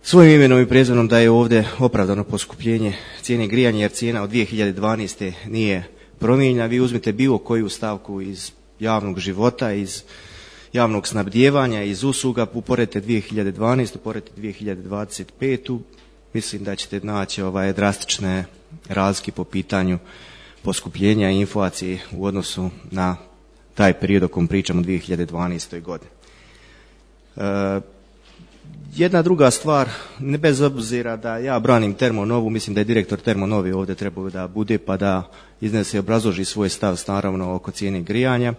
svojim imenom i prezimenom da je ovdje opravdano poskupljenje cijene grijanja, jer cijena od 2012. nije promijenjena. Vi uzmite bilo koju stavku iz javnog života, iz javnog snabdijevanja, iz usluga, uporedite 2012. uporedite 2025. Mislim da ćete naći drastične razlike po pitanju poskupljenja i inflacije u odnosu na taj period o kom pričamo 2012. godine. Jedna druga stvar, ne bez obzira da ja branim Termonovu, mislim da je direktor Termonove ovdje trebao da bude pa da iznese i obrazloži svoj stav naravno oko cijene grijanja.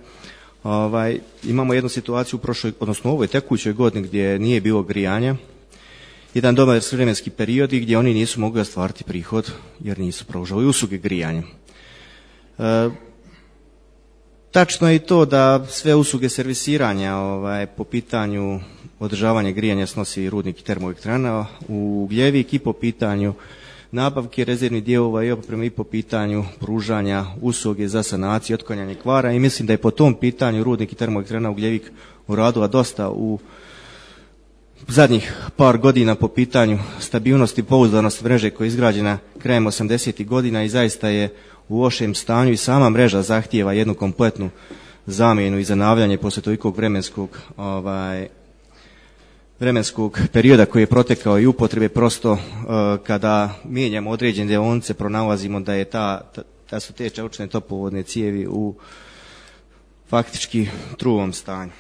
Imamo jednu situaciju u prošloj, odnosno u ovoj tekućoj godini gdje nije bilo grijanja, jedan dobar vremenski period gdje oni nisu mogli ostvariti prihod jer nisu pružali usluge grijanja. Tačno je i to da sve usluge servisiranja po pitanju održavanja grijanja snosi rudnik i termoelektrana u Ugljevik i po pitanju nabavke rezervnih dijelova i opreme i po pitanju pružanja usluge za sanaciju i otklanjanje kvara i mislim da je po tom pitanju rudnik i termoelektrana Ugljevik uradila dosta u zadnjih par godina po pitanju stabilnosti i pouzdanosti mreže koja je izgrađena krajem 80. godina i zaista je u lošem stanju i sama mreža zahtijeva jednu kompletnu zamjenu i zanavljanje poslije tolikog vremenskog perioda koji je protekao i upotrebe. Prosto kada mijenjamo određene dionice pronalazimo da su te čelične toplovodne cijevi u faktički truvom stanju.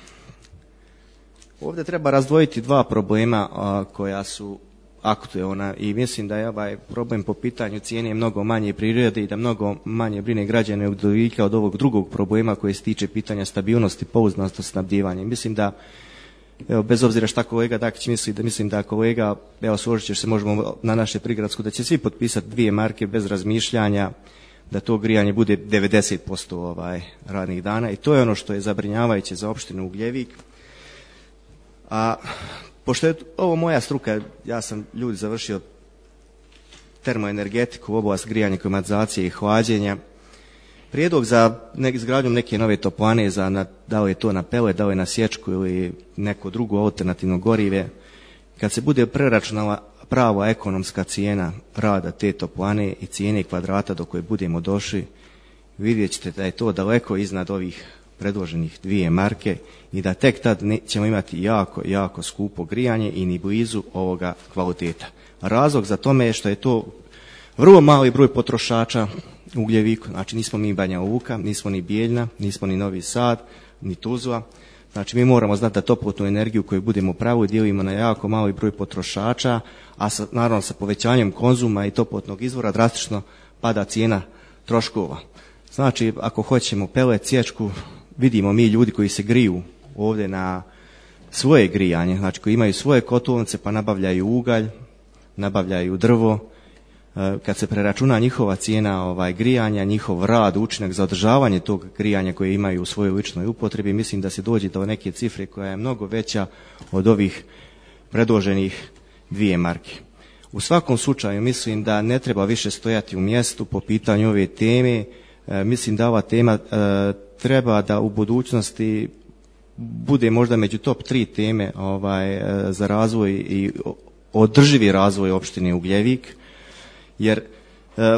Ovdje treba razdvojiti dva problema koja su aktuelna i mislim da je ovaj problem po pitanju cijene mnogo manje prirode i da mnogo manje brine građane Ugljevika od ovog drugog problema koji se tiče pitanja stabilnosti, pouzdanosti snabdijevanja. Mislim da, evo, bez obzira šta kolega Dakić misli, da mislim da kolega, evo, složit ćeš se, možemo na naše prigradsku, da će svi potpisati 2 marke bez razmišljanja, da to grijanje bude 90% radnih dana i to je ono što je zabrinjavajuće za opštinu Ugljevik. A pošto je ovo moja struka, ja sam ljudi završio termoenergetiku, oblast grijanja, klimatizacije i hlađenja. Prijedlog za izgradnjom neke nove toplane, da li je to na pelet, da li je na sječku ili neko drugo alternativno gorive, kad se bude preračunala prava ekonomska cijena rada te toplane i cijene kvadrata do koje budemo došli, vidjet ćete da je to daleko iznad ovih predloženih 2 marke i da tek tad ćemo imati jako, jako skupo grijanje i ni blizu ovoga kvaliteta. Razlog za tome je što je to vrlo mali broj potrošača u Ugljeviku. Znači nismo mi Banja Luka, nismo ni Bijeljna, nismo ni Novi Sad, ni Tuzla. Znači mi moramo znati da toplotnu energiju koju budemo pravili dijelimo na jako mali broj potrošača, a naravno sa povećanjem konzuma i toplotnog izvora drastično pada cijena troškova. Znači ako hoćemo pelet, sječku, vidimo mi ljudi koji se griju ovdje na svoje grijanje, znači koji imaju svoje kotlovnice pa nabavljaju ugalj, nabavljaju drvo. Kad se preračuna njihova cijena grijanja, njihov rad, učinak za održavanje tog grijanja koje imaju u svojoj ličnoj upotrebi, mislim da se dođe do neke cifre koja je mnogo veća od ovih predloženih 2 marke. U svakom slučaju mislim da ne treba više stojati u mjestu po pitanju ove teme. Mislim da ova tema treba da u budućnosti bude možda među top 3 teme za razvoj i održivi razvoj opštine Ugljevik, jer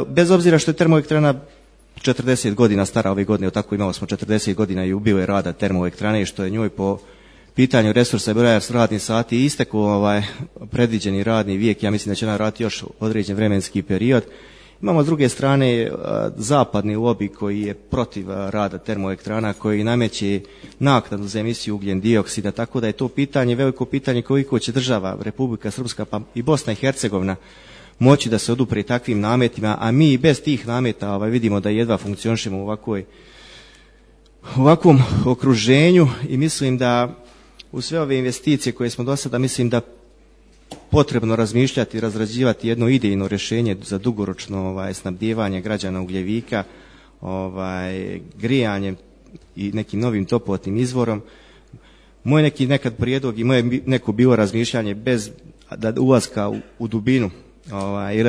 bez obzira što je termoelektrana 40 godina stara ove godine, tako imali smo 40 godina jubilej rada termoelektrane i što je njoj po pitanju resursa i broja radnih sati istekao predviđeni radni vijek, ja mislim da će ona raditi još određen vremenski period. Imamo s druge strane zapadni lobby koji je protiv rada termoelektrana, koji nameće naknadu za emisiju ugljen dioksida, tako da je to pitanje, veliko pitanje koliko će država, Republika Srpska pa i Bosna i Hercegovina moći da se odupre takvim nametima, a mi bez tih nameta vidimo da jedva funkcionišemo u ovakvom okruženju i mislim da u sve ove investicije koje smo do sada, mislim da potrebno razmišljati i razrađivati jedno idejno rješenje za dugoročno snabdijevanje građana Ugljevika, grijanjem i nekim novim toplotnim izvorom. Moj neki nekad prijedlog i moje neko bilo razmišljanje bez ulaska u dubinu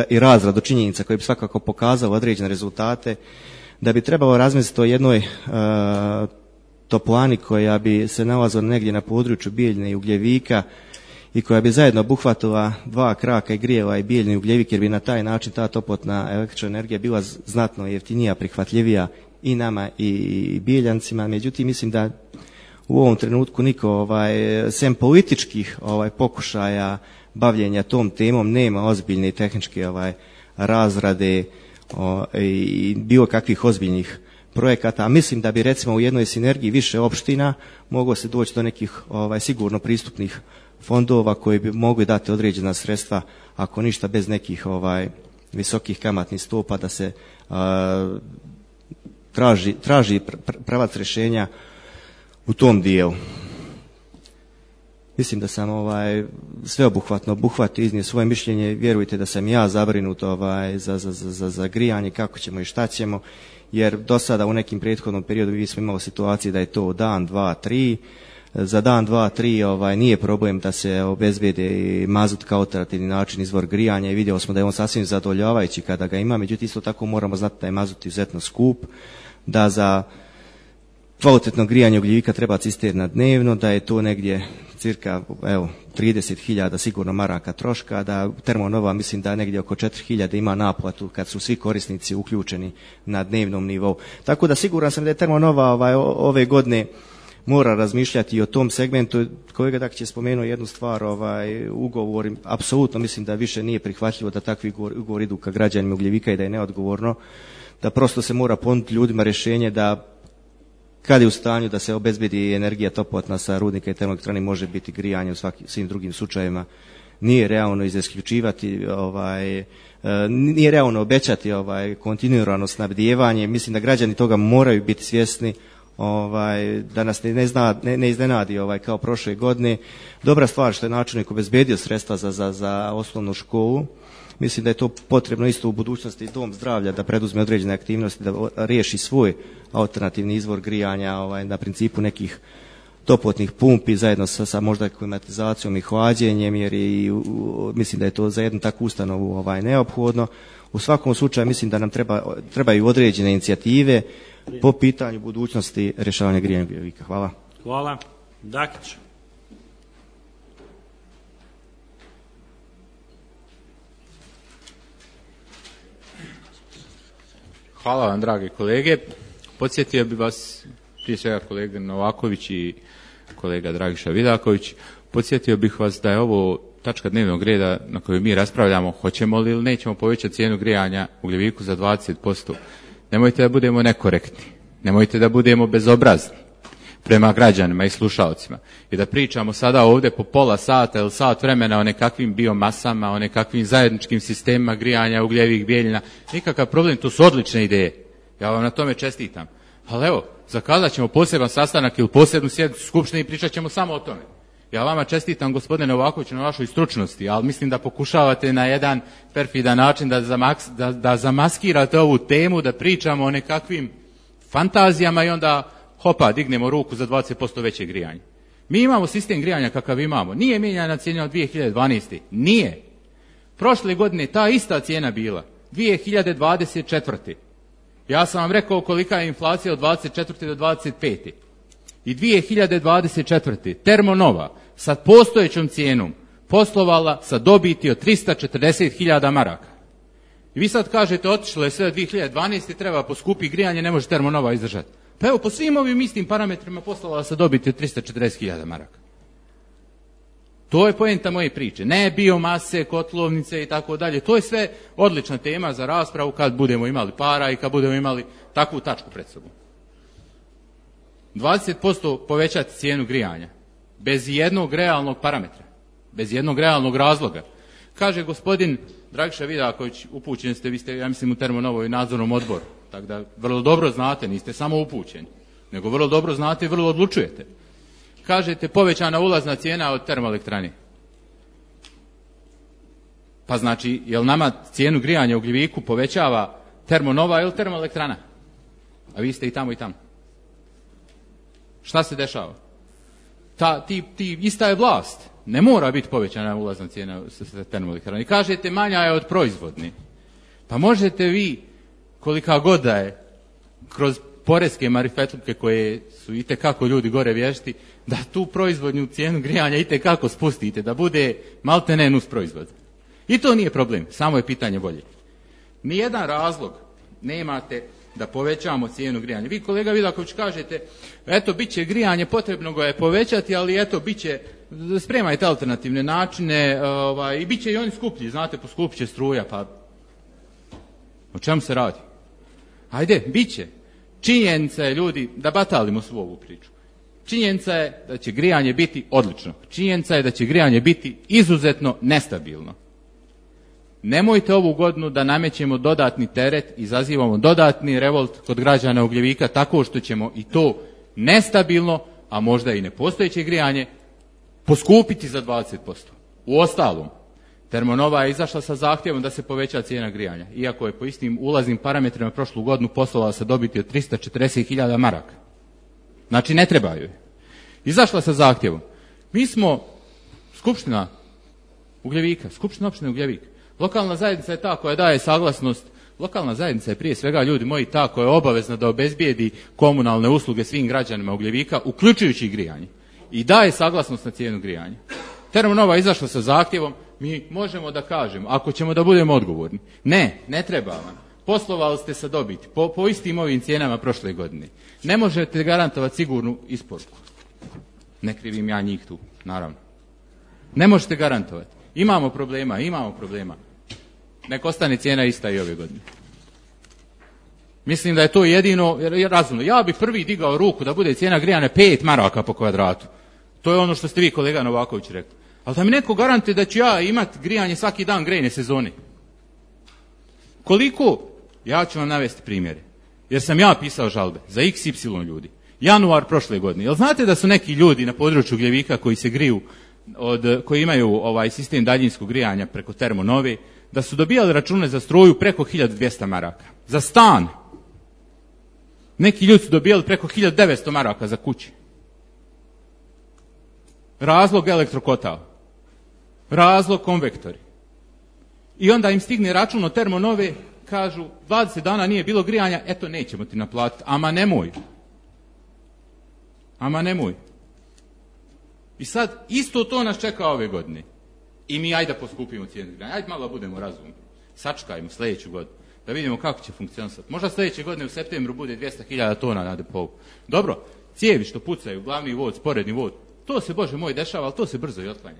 i razradu činjenica koje bi svakako pokazalo određene rezultate, da bi trebalo razmisliti o jednoj toplani koja bi se nalazila negdje na području Bijeljne i Ugljevika i koja bi zajedno obuhvatila 2 kraka i grijeva i Bijeljni i Ugljevik, jer bi na taj način ta toplotna električna energija bila znatno jeftinija, prihvatljivija i nama i Bijeljancima. Međutim, mislim da u ovom trenutku niko sem političkih pokušaja bavljenja tom temom nema ozbiljne tehničke razrade i bilo kakvih ozbiljnih projekata, a mislim da bi recimo u jednoj sinergiji više opština moglo se doći do nekih sigurno pristupnih fondova koji bi mogli dati određena sredstva, ako ništa bez nekih visokih kamatnih stopa, da se traži pravac rješenja u tom dijelu. Mislim da sam sveobuhvatno obuhvatio, iznio svoje mišljenje. Vjerujte da sam ja zabrinut za grijanje, kako ćemo i šta ćemo, jer do sada u nekim prethodnom periodu mi smo imali situacije da je to dan, 2, 3. Za dan, 2, 3 nije problem da se obezbede mazut kao alternativni način izvor grijanja i vidjeli smo da je on sasvim zadovoljavajući kada ga ima, međutim isto tako moramo znati da je mazut izuzetno skup, da za kvalitetnog grijanja ugljika treba cisterna dnevno, da je to negdje cirka 30.000 sigurno maraka troška, da Termonova mislim da negdje oko 4.000 ima naplatu kad su svi korisnici uključeni na dnevnom nivou. Tako da siguran sam da je Termonova ove godine mora razmišljati i o tom segmentu. Kolega Dakić je spomenuo jednu stvar, ugovor, apsolutno mislim da više nije prihvatljivo da takvi ugovori idu ka građanima Ugljevika i da je neodgovorno, da prosto se mora ponuditi ljudima rješenje da kad je u stanju da se obezbedi energija toplotna sa rudnika i termoelektrane može biti grijanje u svim drugim slučajevima. Nije realno isključivati, nije realno obećati kontinuirano snabdijevanje. Mislim da građani toga moraju biti svjesni, da nas ne iznenadi kao prošle godine. Dobra stvar što je načelnik obezbedio sredstva za osnovnu školu. Mislim da je to potrebno isto u budućnosti dom zdravlja da preduzme određene aktivnosti, da riješi svoj alternativni izvor grijanja na principu nekih toplotnih pumpi zajedno sa možda klimatizacijom i hlađenjem, jer mislim da je to za jednu takvu ustanovu neophodno. U svakom slučaju mislim da nam trebaju određene inicijative po pitanju budućnosti rješavanja grijanja Ugljevika. Hvala. Hvala. Dakić. Hvala vam, drage kolege. Podsjetio bi vas, prije svega kolega Novaković i kolega Dragiša Vidaković, podsjetio bih vas da je ovo tačka dnevnog reda na kojoj mi raspravljamo hoćemo li ili nećemo povećati cijenu grijanja Ugljeviku za 20%. Nemojte da budemo nekorektni, nemojte da budemo bezobrazni prema građanima i slušalcima i da pričamo sada ovdje po pola sata ili sat vremena o nekakvim biomasama, o nekakvim zajedničkim sistemima grijanja, Ugljevik, Bijeljina. Nikakav problem, to su odlične ideje. Ja vam na tome čestitam. Ali evo, zakazat ćemo poseban sastanak ili posebnu sjednicu skupštine i pričat ćemo samo o tome. Ja vama čestitam, gospodine Novakoviću, na vašoj stručnosti, ali mislim da pokušavate na jedan perfidan način da zamaskirate ovu temu, da pričamo o nekakvim fantazijama i onda hopa, dignemo ruku za 20% veće grijanje. Mi imamo sistem grijanja kakav imamo. Nije mijenjana cijena od 2012. Nije. Prošle godine ta ista cijena bila. 2024. Ja sam vam rekao kolika je inflacija od 24. do 25. I 2024. Termonova sa postojećom cijenom poslovala sa dobiti od 340.000 maraka. I vi sad kažete otišlo je sve 2012. treba poskupiti grijanje, ne može Termonova izdržati. Pa evo, po svim ovim istim parametrima poslovala sa dobiti od 340.000 maraka. To je poenta moje priče. Ne biomase, kotlovnice i tako dalje. To je sve odlična tema za raspravu kad budemo imali para i kad budemo imali takvu tačku pred sobom. 20% povećati cijenu grijanja. Bez jednog realnog parametra. Bez jednog realnog razloga. Kaže gospodin Dragiša Vidaković, upućeni ste, vi ste, ja mislim, u Termonovoj nadzornom odboru. Tako da vrlo dobro znate, niste samo upućeni, nego vrlo dobro znate i vrlo odlučujete. Kažete povećana ulazna cijena od termoelektrane. Pa znači, jel nama cijenu grijanja u Ugljeviku povećava Termonova ili termoelektrana? A vi ste i tamo i tamo. Šta se dešava? Ista je vlast. Ne mora biti povećana ulazna cijena sa termoelektrane. I kažete manja je od proizvodne. Pa možete vi, kolika god da je, kroz poreske marifetluke koje su itekako ljudi gore vješti, da tu proizvodnju cijenu grijanja itekako spustite, da bude maltene nus proizvod. I to nije problem, samo je pitanje volje. Nijedan razlog nemate da povećamo cijenu grijanja. Vi, kolega Vidaković, kažete, eto, bit će grijanje, potrebno ga je povećati, ali eto, bit će, spremajte alternativne načine, i bit će i oni skuplji, znate, poskupit će struja, pa o čemu se radi? Ajde, bit će. Činjenica je, ljudi, da batalimo svu ovu priču. Činjenica je da će grijanje biti odlično. Činjenica je da će grijanje biti izuzetno nestabilno. Nemojte ovu godinu da namećemo dodatni teret, izazivamo dodatni revolt kod građana Ugljevika tako što ćemo i to nestabilno, a možda i nepostojeće grijanje, poskupiti za 20%. Uostalom, Termonova je izašla sa zahtjevom da se poveća cijena grijanja, iako je po istim ulaznim parametrima prošlu godinu poslovala sa dobiti od 340.000 maraka. Znači, ne treba joj. Izašla sa zahtjevom. Mi smo Skupština Ugljevika, Skupština opštine Ugljevik. Lokalna zajednica je ta koja daje saglasnost Lokalna zajednica je prije svega, ljudi moji, ta koja je obavezna da obezbijedi komunalne usluge svim građanima Ugljevika, uključujući i grijanje. I daje saglasnost na cijenu grijanja. Termonova je izašla sa zahtjevom, mi možemo da kažemo, ako ćemo da budemo odgovorni. Ne treba vam. Poslovali ste sa dobiti, po istim ovim cijenama prošle godine. Ne možete garantovati sigurnu isporuku. Ne krivim ja njih tu, naravno. Ne možete garantovati. Imamo problema. Nek ostane cijena ista i ove godine. Mislim da je to jedino razumno. Ja bih prvi digao ruku da bude cijena grijanja 5 maraka po kvadratu. To je ono što ste vi, kolega Novaković, rekli. Ali da mi neko garantuje da ću ja imati grijanje svaki dan grejne sezone. Koliko? Ja ću vam navesti primjere. Jer sam ja pisao žalbe za XY ljudi. Januar prošle godine. Jel znate da su neki ljudi na području Ugljevika koji se griju, koji imaju sistem daljinskog grijanja preko Termonove, da su dobijali račune za struju preko 1200 maraka. Za stan. Neki ljudi su dobijali preko 1900 maraka za kuće. Razlog elektrokotal. Razlog konvektori. I onda im stigne račun od Termonove, kažu 20 dana nije bilo grijanja, eto nećemo ti naplatiti. Ama nemoj. I sad isto to nas čeka ove godine. I mi ajde poskupimo cijenu grijanja. Ajde malo budemo razumni. Sačekajmo sljedeću godinu. Da vidimo kako će funkcionisati. Možda sljedeće godine u septembru bude 200.000 tona na depou. Dobro, cijevi što pucaju, glavni vod, sporedni vod, to se, Bože moj, dešava, ali to se brzo i otklanja.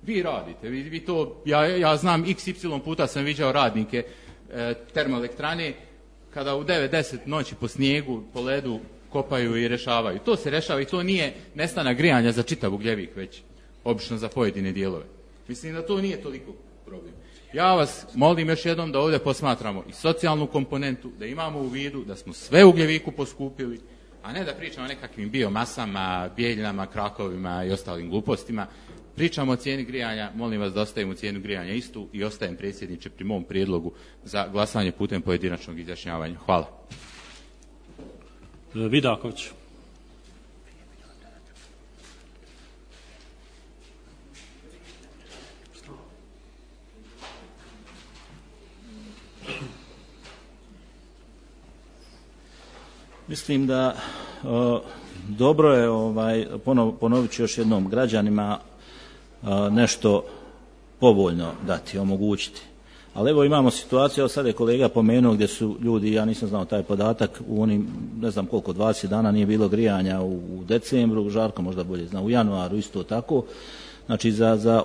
Vi radite, vi to, ja znam XY puta sam viđao radnike termoelektrane kada u 9-10 noći po snijegu, po ledu kopaju i rešavaju. To se rešava i to nije nestanak grijanja za čitav Ugljevik, već obično za pojedine dijelove. Mislim da to nije toliko problem. Ja vas molim još jednom da ovdje posmatramo i socijalnu komponentu, da imamo u vidu da smo sve u Ugljeviku poskupili, a ne da pričamo o nekakvim biomasama, bijeljinama, krakovima i ostalim glupostima. Pričamo o cijeni grijanja, molim vas da ostavimo cijenu grijanja istu i ostajem, predsjedniče, pri mom prijedlogu za glasanje putem pojedinačnog izjašnjavanja. Hvala. Vidaković. Mislim da dobro je, ponovit ću još jednom, građanima nešto povoljno dati, omogućiti. Ali evo imamo situaciju, evo sad je kolega pomenuo gdje su ljudi, ja nisam znao taj podatak, u onim, ne znam koliko, 20 dana nije bilo grijanja u decembru, Žarko možda bolje zna, u januaru isto tako. Znači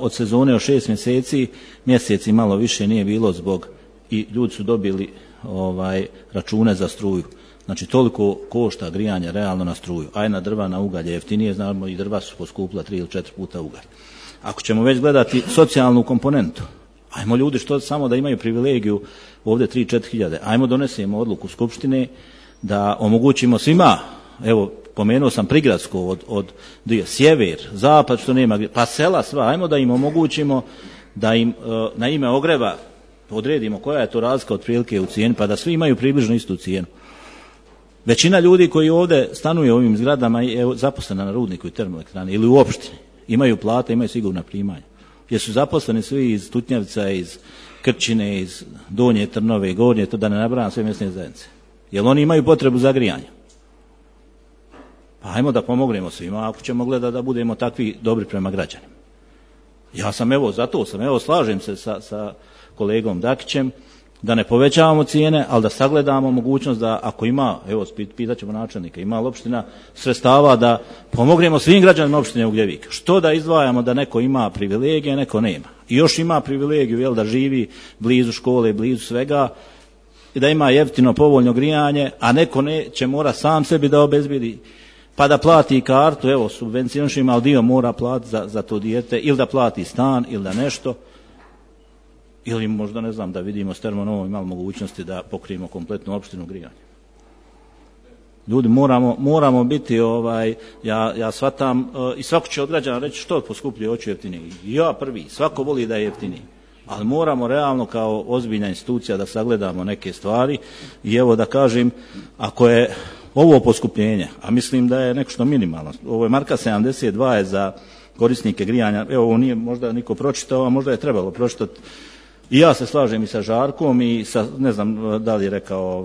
od sezone od 6 mjeseci malo više nije bilo zbog, i ljudi su dobili račune za struju. Znači toliko košta grijanje realno na struju, a na drva, na ugalj je jeftinije, znamo i drva su poskupila 3 ili 4 puta ugalj. Ako ćemo već gledati socijalnu komponentu, ajmo ljudi što samo da imaju privilegiju ovdje 3-4 hiljade, ajmo donesemo odluku Skupštine da omogućimo svima, evo pomenuo sam prigradsko od sjever, zapad što nema, pa sela sva, ajmo da im omogućimo da im na ime ogreva odredimo koja je to razlika otprilike u cijeni, pa da svi imaju približno istu cijenu. Većina ljudi koji ovdje stanuje u ovim zgradama je zaposlena na rudniku i termoelektrani ili u opštini. Imaju plate, imaju sigurna primanja. Jer su zaposleni svi iz Tutnjavca, iz Krčine, iz Donje Trnove, Gornje, to da ne nabrajam sve mjesne zajednice. Jer oni imaju potrebu za grijanje. Pa ajmo da pomognemo svima ako ćemo gledati da budemo takvi dobri prema građanima. Ja sam slažem se sa kolegom Dakićem, da ne povećavamo cijene, ali da sagledamo mogućnost da ako ima, evo pitat ćemo načelnika, ima li opština sredstava da pomognemo svim građanima opštine Ugljevik. Što da izdvajamo da neko ima privilegije, neko nema. I još ima privilegiju da živi blizu škole, blizu svega, i da ima jeftino povoljno grijanje, a neko će mora sam sebi da obezbedi, pa da plati kartu, evo subvencionišemo, ali dio mora platiti za to dijete, ili da plati stan, ili da nešto. Ili možda, ne znam, da vidimo s Termonovom imamo mogućnosti da pokrijemo kompletnu opštinu grijanja. Ljudi, moramo biti, ja shvatam, i svako će od građana reći što poskupljuje, hoću jeftinije. I ja prvi, svako voli da je jeftiniji. Ali moramo realno kao ozbiljna institucija da sagledamo neke stvari i evo da kažem, ako je ovo poskupljenje, a mislim da je nešto minimalno, ovo je marka 72 je za korisnike grijanja, evo ovo nije možda niko pročitao, a možda je trebalo pročitati. I ja se slažem i sa Žarkom i sa, ne znam da li je rekao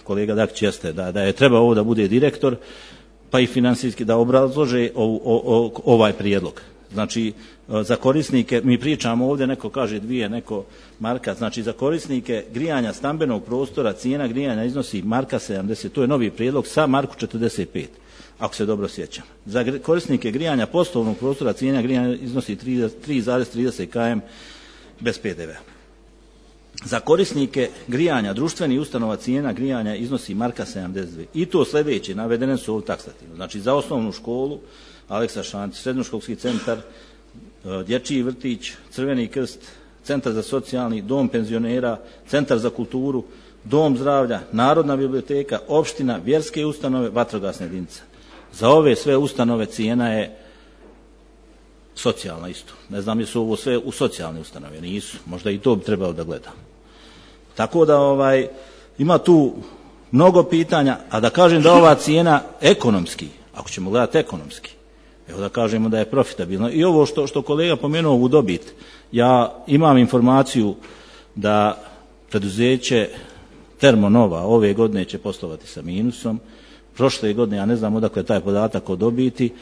kolega Dakić, jeste da je treba ovo da bude direktor, pa i financijski da obrazlože ovaj prijedlog. Znači, za korisnike, mi pričamo ovdje, neko kaže 2, neko marka, znači za korisnike grijanja stambenog prostora cijena grijanja iznosi marka 70, to je novi prijedlog sa marku 45, ako se dobro sjećam. Za korisnike grijanja poslovnog prostora cijena grijanja iznosi 3,30 km bez PDV-a. Za korisnike grijanja društvenih ustanova cijena grijanja iznosi marka 72. I to sljedeće, navedene su ovdje taksativno. Znači za osnovnu školu Aleksa Šantić, srednjoškolski centar, dječji vrtić, Crveni krst, centar za socijalni, dom penzionera, centar za kulturu, dom zdravlja, narodna biblioteka, opština, vjerske ustanove, vatrogasna jedinica. Za ove sve ustanove cijena je socijalna isto. Ne znam jesu ovo sve u socijalne ustanove, nisu. Možda i to bi trebalo da gledam. Tako da ima tu mnogo pitanja, a da kažem da ova cijena ekonomski, ako ćemo gledati ekonomski, evo da kažemo da je profitabilno. I ovo što kolega pomenuo u dobit, ja imam informaciju da preduzeće Termonova ove godine će poslovati sa minusom, prošle godine, ja ne znam odakle je taj podatak o dobiti,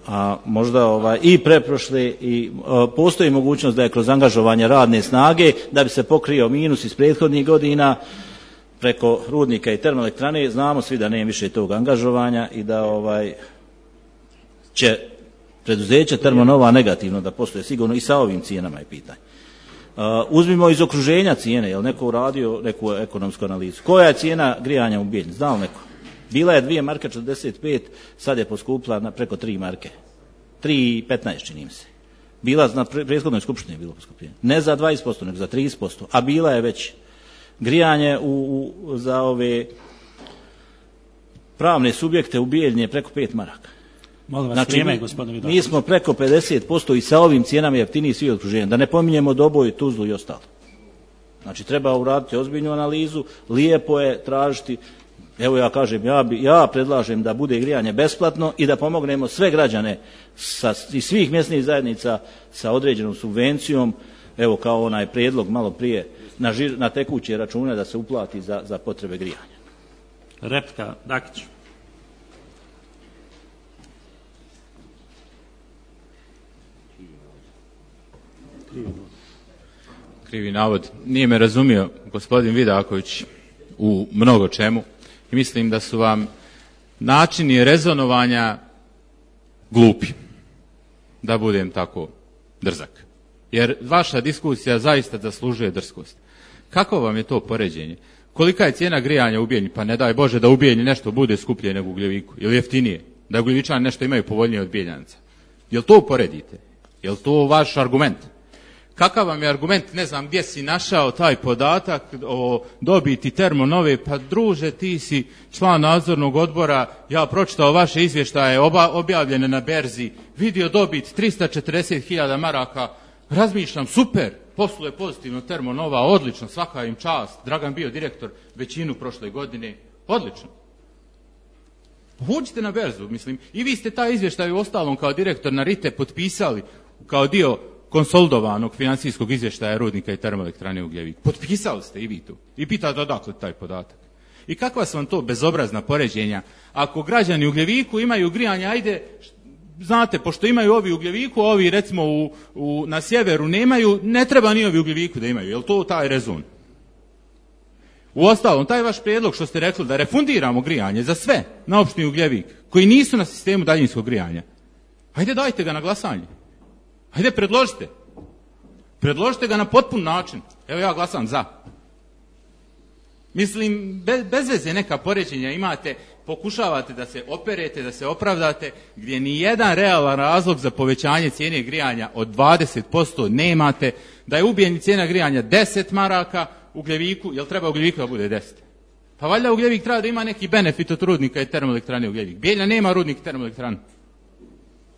a možda i preprošle i postoji mogućnost da je kroz angažovanje radne snage da bi se pokrio minus iz prethodnih godina preko rudnika i termoelektrane. Znamo svi da nema više tog angažovanja i da će preduzeće Termonova negativno da posluje sigurno i sa ovim cijenama je pitanje. Uzmimo iz okruženja cijene, je li neko uradio neku ekonomsku analizu? Koja je cijena grijanja u Bijeljni? Zna li neko? Bila je 2 marke 45, sad je poskupila na preko 3 marke. 3,15 čini mi se. Bila na prethodnoj skupštini je bilo poskupljenje. Ne za 20%, nego za 30%, a bila je već. Grijanje za ove pravne subjekte u Bijeljni je preko 5 maraka. Molim vas, znači, vrijeme, gospodine Vidaković. Mi smo preko 50% i sa ovim cijenama jeftiniji svi okruženja. Da ne pominjemo Doboj, Tuzlu i ostalo. Znači treba uraditi ozbiljnu analizu, lijepo je tražiti. Evo ja kažem, ja predlažem da bude grijanje besplatno i da pomognemo sve građane iz svih mjesnih zajednica sa određenom subvencijom, evo kao onaj prijedlog malo prije na tekuće račune da se uplati za potrebe grijanja. Replika, Dakić. Krivi navod. Nije me razumio gospodin Vidaković u mnogo čemu. I mislim da su vam načini rezonovanja glupi, da budem tako drzak. Jer vaša diskusija zaista zaslužuje drskost. Kako vam je to poređenje? Kolika je cijena grijanja u Bijeljni? Pa ne daj Bože da u Bijeljni nešto bude skuplje nego u Gljeviku. Ili jeftinije? Da Gljevičani nešto imaju povoljnije od Bijeljanaca. Jel to uporedite? Jel to vaš argument? Kakav vam je argument, ne znam gdje si našao taj podatak o dobiti Termonove, pa druže ti si član nadzornog odbora, ja pročitao vaše izvještaje objavljene na berzi, vidio dobit 340.000 maraka, razmišljam super, posluje pozitivno Termonova, odlično, svaka im čast, Dragan bio direktor većinu prošle godine, odlično. Uđite na berzu, mislim, i vi ste taj izvještaj u ostalom kao direktor na RITE potpisali kao dio konsolidovanog financijskog izvještaja rudnika i termoelektrane u Gljeviku. Potpisali ste i vi tu. I pitate odakle taj podatak. I kakva su vam to bezobrazna poređenja? Ako građani u Gljeviku imaju grijanje, ajde, znate, pošto imaju ovi u Gljeviku, ovi recimo na sjeveru nemaju, ne treba ni ovi u Gljeviku da imaju. Je li to taj rezon? Uostalom, taj vaš prijedlog što ste rekli da refundiramo grijanje za sve na opštini u Gljevik, koji nisu na sistemu daljinskog grijanja, ajde dajte ga na glasanje. Ajde, predložite. Predložite ga na potpun način. Evo ja glasam za. Mislim, bez veze neka poređenja imate, pokušavate da se operete, da se opravdate, gdje ni jedan realan razlog za povećanje cijene grijanja od 20% nemate, da je u Bijeljni cijena grijanja 10 maraka, u Gljeviku, jel treba u Gljeviku da bude 10? Pa valjda u Gljevik treba da ima neki benefit od rudnika i termoelektrane u Gljevik. Bijeljna nema rudnik i termoelektranu,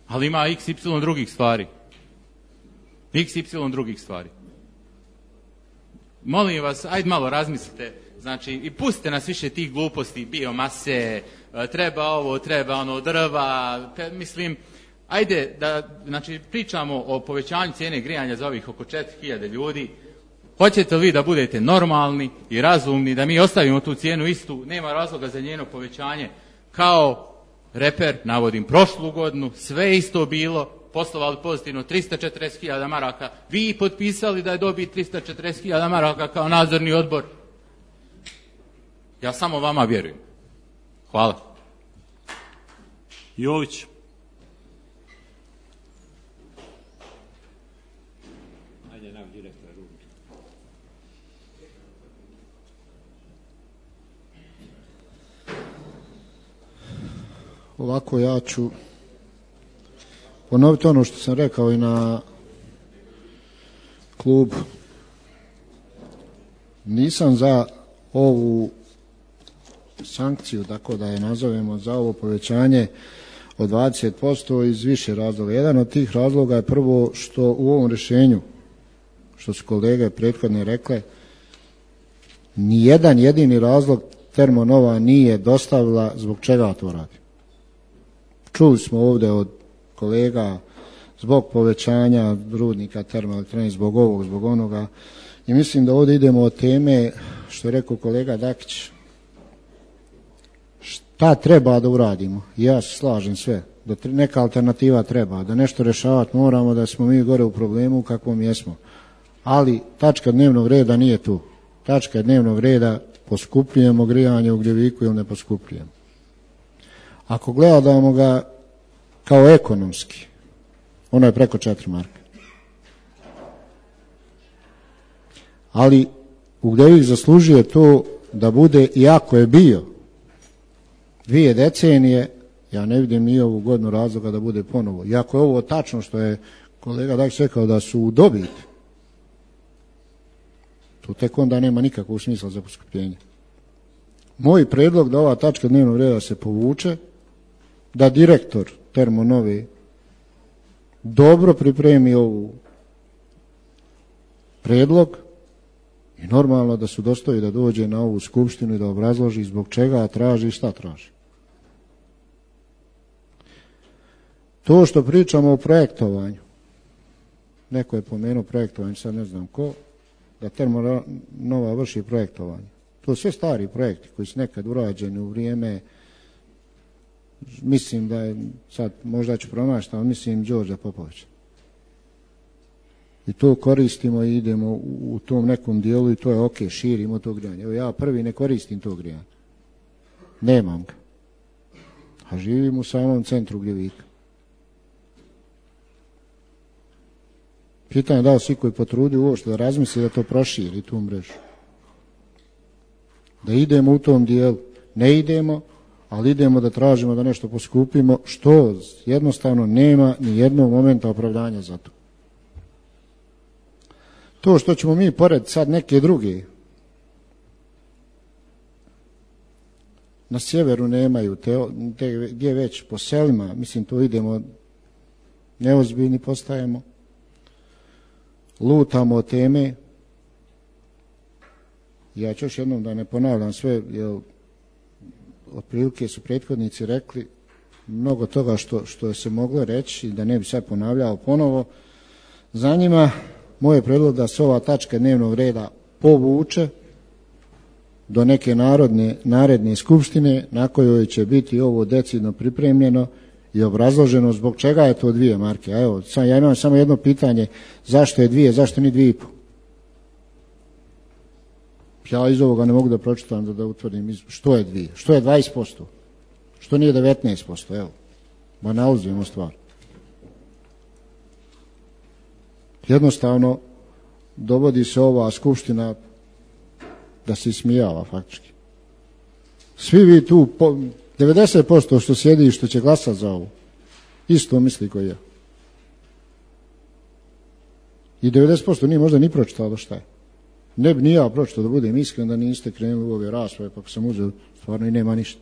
ali ima XY drugih stvari. XY drugih stvari. Molim vas, ajde malo razmislite, znači, i pustite nas više tih gluposti, biomase, treba ovo, treba ono, drva, mislim, Ajde da znači, pričamo o povećanju cijene grijanja za ovih oko 4000 ljudi. Hoćete li vi da budete normalni i razumni, da mi ostavimo tu cijenu istu, nema razloga za njeno povećanje, kao reper, navodim prošlu godinu, sve isto bilo, poslovali pozitivno 340.000 maraka, vi potpisali da je dobit 340.000 maraka kao nadzorni odbor. Ja samo vama vjerujem. Hvala. Jović. Ovako, ja ću ponoviti ono što sam rekao i na klubu. Nisam za ovu sankciju, tako da je nazovemo, za ovo povećanje od 20% iz više razloga. Jedan od tih razloga je prvo što u ovom rješenju, što su kolege prethodne rekle, ni jedan jedini razlog Termonova nije dostavila zbog čega to radi. Čuli smo ovdje od kolega zbog povećanja rudnika termoelektrane, zbog ovog, zbog onoga. I mislim da ovdje idemo od teme, što je rekao kolega Dakić, šta treba da uradimo. Ja se slažem sve, da neka alternativa treba, da nešto rješavati moramo, da smo mi gore u problemu u kakvom jesmo. Ali tačka dnevnog reda nije tu. Tačka dnevnog reda poskupljujemo grijanje u Ugljeviku ili ne poskupljujemo. Ako gledamo ga kao ekonomski, ono je preko 4 marke. Ali Ugljevik zaslužuje to da bude, iako je bio 2 decenije, ja ne vidim ni ovu godinu razloga da bude ponovo. Iako je ovo tačno što je kolega Dakić rekao da su u dobit, to tek onda nema nikakvog smisla za poskupljenje. Moj predlog da ova tačka dnevnog reda se povuče, da direktor Termonove dobro pripremi ovu predlog i normalno da su dostoji da dođe na ovu skupštinu i da obrazloži zbog čega traži i šta traži. To što pričamo o projektovanju, neko je pomenuo projektovanje, sad ne znam ko, da Termonova vrši projektovanje. To su sve stari projekti koji su nekad urađeni u vrijeme, mislim da je, sad možda ću promašiti, ali mislim Đorđa Popovića. I to koristimo i idemo u tom nekom dijelu i to je ok, širimo to grijanje. Evo ja prvi ne koristim to grijanje. Nemam ga. A živim u samom centru Ugljevika. Pitanje da li svi koji potrudi uopšte da razmisli da to proširi tu mrežu. Da idemo u tom dijelu. Ne idemo, ali idemo da tražimo da nešto poskupimo, što jednostavno nema ni jednog momenta opravdanja za to. To što ćemo mi pored sad neke druge, na sjeveru nemaju, gdje već po selima, mislim to idemo, neozbiljni postajemo, lutamo od teme. Ja ću još jednom da ne ponavljam sve, jer otprilike su prethodnici rekli mnogo toga što se moglo reći i da ne bi sad ponavljao ponovo. Za njima moj je predlog da se ova tačka dnevnog reda povuče do neke naredne skupštine na kojoj će biti ovo decidno pripremljeno i obrazloženo zbog čega je to 2 marke. A evo, ja imam samo jedno pitanje, zašto je 2, zašto ni 2,5? Ja iz ovoga ne mogu da pročitam da utvrdim što je 2, što je 20%, što nije 19%, evo, banalizujemo stvar. Jednostavno, dovodi se ova skupština da se ismijava faktički. Svi vi tu, 90% što sjedi i što će glasati za ovo, isto misli koji ja. I 90% nije možda ni pročitalo šta je. Ne bi ni ja pročitao, da budem iskren, da niste krenuli u ove rasprave, pa ako sam uzeo, stvarno i nema ništa.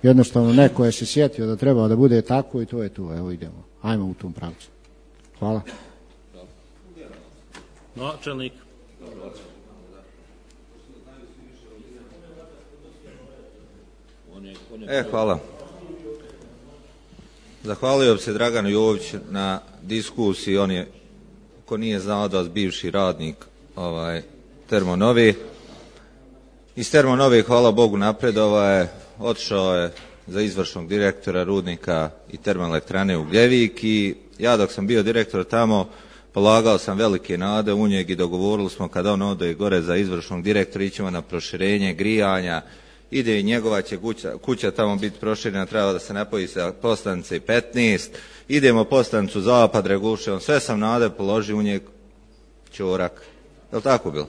Jednostavno, neko je se sjetio da treba da bude tako i to je to. Evo idemo, ajmo u tom pravcu. Hvala. Načelnik. Hvala. Zahvalio bi se Draganu Joviću na diskusiji. On je, ko nije znao, da vas bivši radnik Termonove. Iz Termonove, hvala Bogu, napredovao, otišao je za izvršnog direktora rudnika i termoelektrane Ugljevik i ja dok sam bio direktor tamo polagao sam velike nade u njeg i dogovorili smo kada on ode gore za izvršnog direktora ićemo na proširenje grijanja, ide i njegova će kuća tamo biti proširena, treba da se napoji sa postanice 15, idemo postanicu zapad, Reguševom, sve sam nade položio u njeg, ćorak. Je li tako bilo?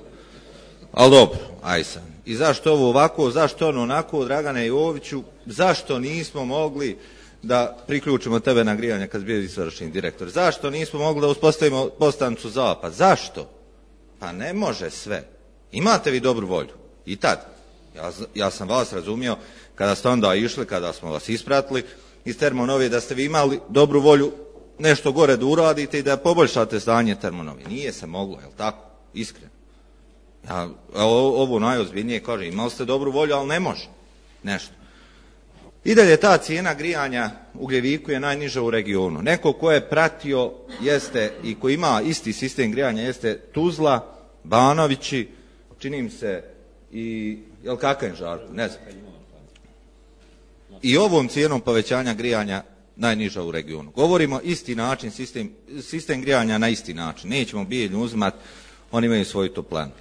Ali dobro, aj sam. I zašto ovo ovako, zašto ono onako, Dragane Joviću, zašto nismo mogli da priključimo tebe na grijanje kad bio izvršni direktor? Zašto nismo mogli da uspostavimo postanicu zapad? Zašto? Pa ne može sve. Imate vi dobru volju. I tad. Ja sam vas razumio kada ste onda išli, kada smo vas ispratili iz Termonove, da ste vi imali dobru volju nešto gore da uradite i da poboljšate stanje Termonove. Nije se moglo, je li tako? Iskreno. Ja ovo najozbiljnije kažem, imali ste dobru volju, ali ne može nešto. I dalje ta cijena grijanja Ugljeviku je najniža u regionu. Neko ko je pratio jeste i ko ima isti sistem grijanja jeste Tuzla, Banovići, čini mi se i jel kakav Žarko, ne znam. I ovom cijenom povećanja grijanja najniža u regionu. Govorimo isti način, sistem grijanja na isti način. Nećemo bijeljnu uzimati, oni imaju svoju toplanu.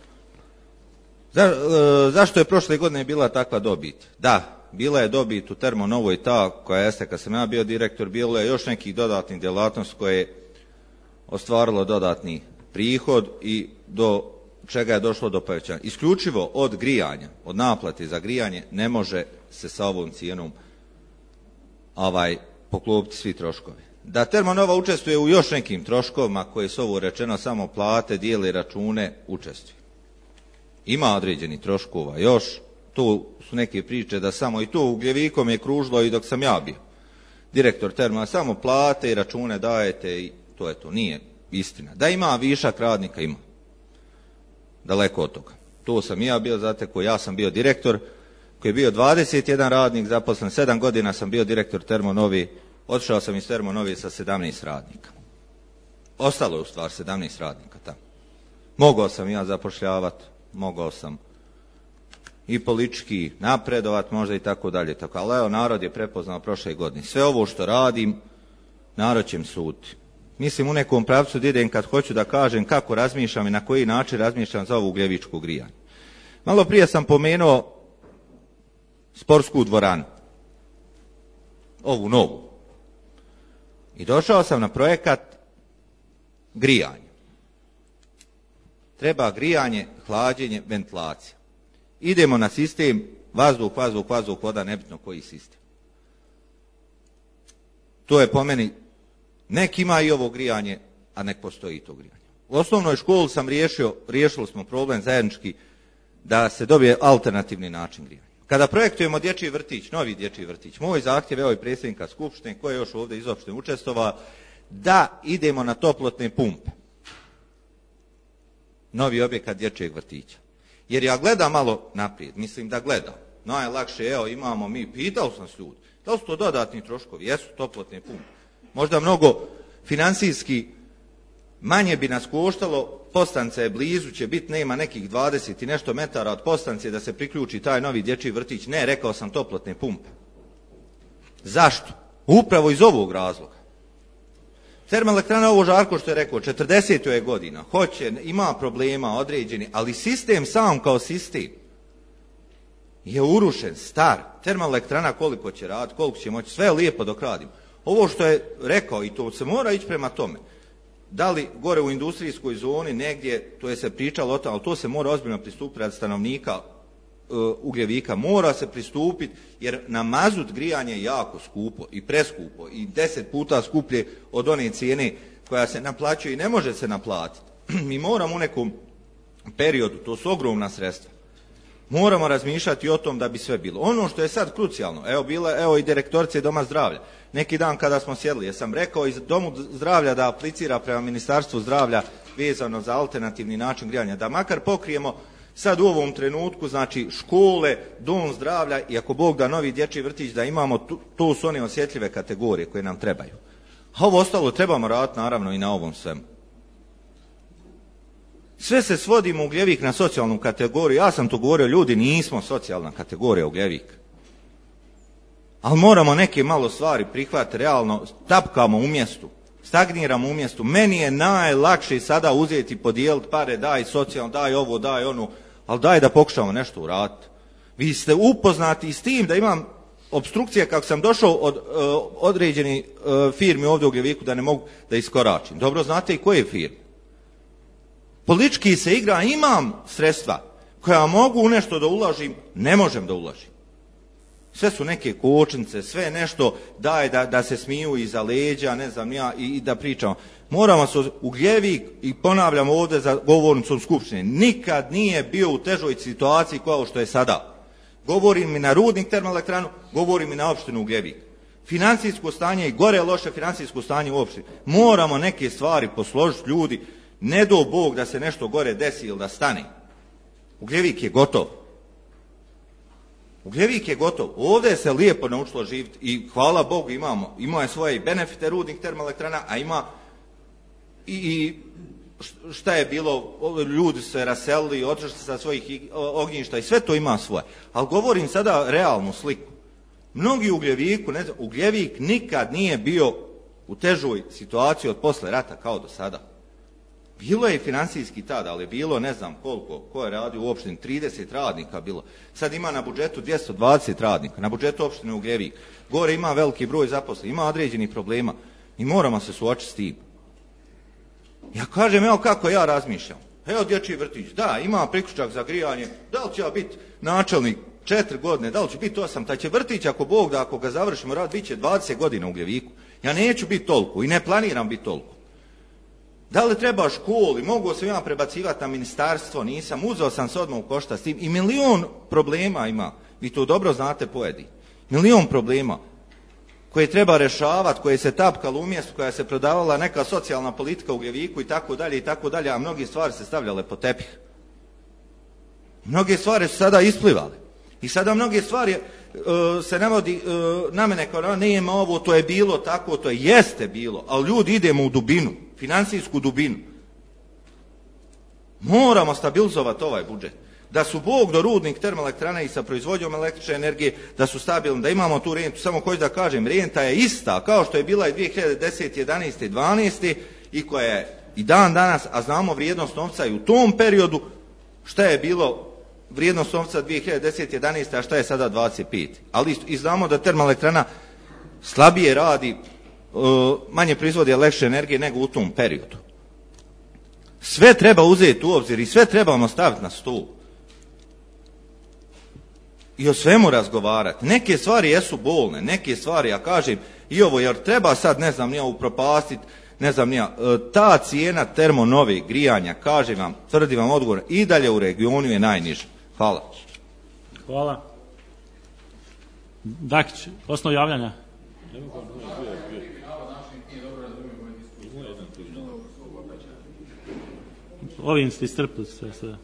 Zašto je prošle godine bila takva dobit? Da, bila je dobit u Termonovoj ta koja jeste kad sam ja bio direktor, bilo je još nekih dodatnih djelatnosti koje je ostvarilo dodatni prihod i do čega je došlo do povećanja. Isključivo od grijanja, od naplate za grijanje ne može se sa ovom cijenom poklopiti svi troškovi. Da Termonova učestvuje u još nekim troškovima koje su ovo rečeno samo plate, dijeli račune, učestvuje. Ima određeni troškova još, tu su neke priče da samo i to Ugljevikom je kružilo i dok sam ja bio direktor Termona, samo plate i račune dajete i to je to. Nije istina. Da ima višak radnika, ima. Daleko od toga. To sam i ja bio zatekao, ja sam bio direktor koji je bio 21 radnik, zaposlen 7 godina sam bio direktor Termonovi, otišao sam iz Termonovi sa 17 radnika. Ostalo je u stvari 17 radnika tamo. Mogao sam ja zapošljavati, mogao sam i politički napredovat, možda i tako dalje. Ali evo, narod je prepoznao prošle godine. Sve ovo što radim, narod će mi suditi. Mislim u nekom pravcu da idem kad hoću da kažem kako razmišljam i na koji način razmišljam za ovu ugljevičku grijanje. Malo prije sam pomenuo sportsku dvoranu. Ovu novu. I došao sam na projekat grijanja. Treba grijanje, hlađenje, ventilacija. Idemo na sistem vazduh, voda, nebitno koji sistem. To je po meni, nek ima i ovo grijanje, a nek postoji i to grijanje. U osnovnoj školi sam riješili smo problem zajednički da se dobije alternativni način grijanja. Kada projektujemo dječji vrtić, novi dječji vrtić, moj zahtjev, evo i predsjednika Skupštine, koji je još ovdje iz opštine učestvovao, da idemo na toplotne pumpe. Novi objekat dječjeg vrtića. Jer ja gledam malo naprijed, mislim da gledam. Najlakše, evo imamo mi, pitao sam se ljudi, da li su to dodatni troškovi, jesu toplotne pumpe. Možda mnogo financijski manje bi nas koštalo, postanica je blizu, će biti, nema nekih 20 i nešto metara od postanice da se priključi taj novi dječji vrtić. Ne, rekao sam toplotne pumpe. Zašto? Upravo iz ovog razloga. Termoelektrana, ovo Žarko što je rekao, 40 je godina, hoće, ima problema određeni, ali sistem sam kao sistem je urušen, star. Termoelektrana koliko će raditi, koliko će moći, sve je lijepo dok radimo. Ovo što je rekao, i to se mora ići prema tome, da li gore u industrijskoj zoni negdje, to je se pričalo o tome, ali to se mora ozbiljno pristupiti radi stanovnika Ugljevika, mora se pristupiti, jer na mazut grijanje je jako skupo i preskupo i 10 puta skuplje od one cijene koja se naplaćuje i ne može se naplatiti. Mi moramo u nekom periodu, to su ogromna sredstva, moramo razmišljati o tom da bi sve bilo. Ono što je sad krucijalno, evo i direktorice Doma zdravlja, neki dan kada smo sjedli, jesam rekao iz Domu zdravlja da aplicira prema Ministarstvu zdravlja vezano za alternativni način grijanja, da makar pokrijemo Sad u ovom trenutku, znači škole, dom zdravlja i ako Bog da novi dječji vrtić da imamo, to su one osjetljive kategorije koje nam trebaju. A ovo ostalo trebamo raditi naravno i na ovom svemu. Sve se svodimo u Ugljevik na socijalnu kategoriju. Ja sam to govorio, ljudi, nismo socijalna kategorija Ugljevik. Ali moramo neke malo stvari prihvatiti realno, tapkamo u mjestu, stagniramo u mjestu. Meni je najlakše sada uzeti, podijeliti pare, daj socijalno, daj ovo, daj ono, ali daj da pokušamo nešto uraditi. Vi ste upoznati s tim da imam opstrukcije kako sam došao od određenih firmi ovdje u Ugljeviku da ne mogu da iskoračim. Dobro znate i koje firme. Politički se igra, imam sredstva koja mogu u nešto da uložim, ne možem da uložim. Sve su neke kočnice, sve nešto daje da se smiju iza leđa, ne znam ja, i da pričamo. Moramo se Ugljevik, i ponavljamo ovdje za govornicom Skupštine, nikad nije bio u težoj situaciji kao što je sada. Govorim i na Rudnik termoelektranu, govorim i na opštinu Ugljevik. Financijsko stanje i gore loše financijsko stanje u opštini. Moramo neke stvari posložiti, ljudi. Ne do Bog da se nešto gore desi ili da stane. Ugljevik je gotov. Ugljevik je gotov. Ovdje se lijepo naučilo živjeti i hvala Bogu ima je svoje benefite Rudnik termoelektrana, a ima i šta je bilo, ljudi se raselili, otišli sa svojih ognjišta i sve to ima svoje. Ali govorim sada realnu sliku. Mnogi u Ugljeviku, ne znam, Ugljevik nikad nije bio u težoj situaciji od posle rata kao do sada. Bilo je i financijski tada, ali je bilo ne znam koliko, ko je radio u opštini, 30 radnika bilo. Sad ima na budžetu 220 radnika, na budžetu opštine Ugljevik. Gore ima veliki broj zaposlenih, ima određenih problema i moramo se suočiti s tim. Ja kažem, evo kako ja razmišljam. Evo dječji vrtić, da, ima priključak za grijanje, da li će ja biti načelnik 4 godine, da li će biti 8, taj će vrtić ako Bog da, ako ga završimo rad, bit će 20 godina u Ugljeviku. Ja neću biti toliko i ne planiram biti toliko. Da li treba školi, mogu se ja prebacivati na ministarstvo, nisam, uzeo sam se odmah u koštac s tim i milion problema ima, vi to dobro znate pojedini, milion problema koje treba rešavati, koje se tapkalo u mjestu, koja se prodavala neka socijalna politika u Ugljeviku i tako dalje, a mnoge stvari se stavljale po tepih. Mnoge stvari su sada isplivale. I sada mnoge stvari se navodi na mene kao nema ovo, to je bilo tako, to jeste bilo, ali ljudi idemo u dubinu, financijsku dubinu. Moramo stabilizovati ovaj budžet. Da su Bog do Rudnik termoelektrana i sa proizvodnjom električne energije, da su stabilni, da imamo tu rentu. Samo hoću da kažem, renta je ista kao što je bila i 2010, 11, 12 i koja je i dan danas, a znamo vrijednost novca i u tom periodu, šta je bilo vrijednost novca 2010, 11, a šta je sada 25. Ali i znamo da termoelektrana slabije radi, manje proizvodi električne energije nego u tom periodu. Sve treba uzeti u obzir i sve trebamo staviti na stol. I o svemu razgovarati. Neke stvari jesu bolne, neke stvari, ja kažem, i ovo, jer treba sad, ne znam, nija upropastiti, ne znam, nija, ta cijena termonove grijanja, kažem vam, tvrdim vam odgovor, i dalje u regionu je najniža. Hvala. Hvala. Dakić, osnov javljanja. Ovim ste istrpili sve sada.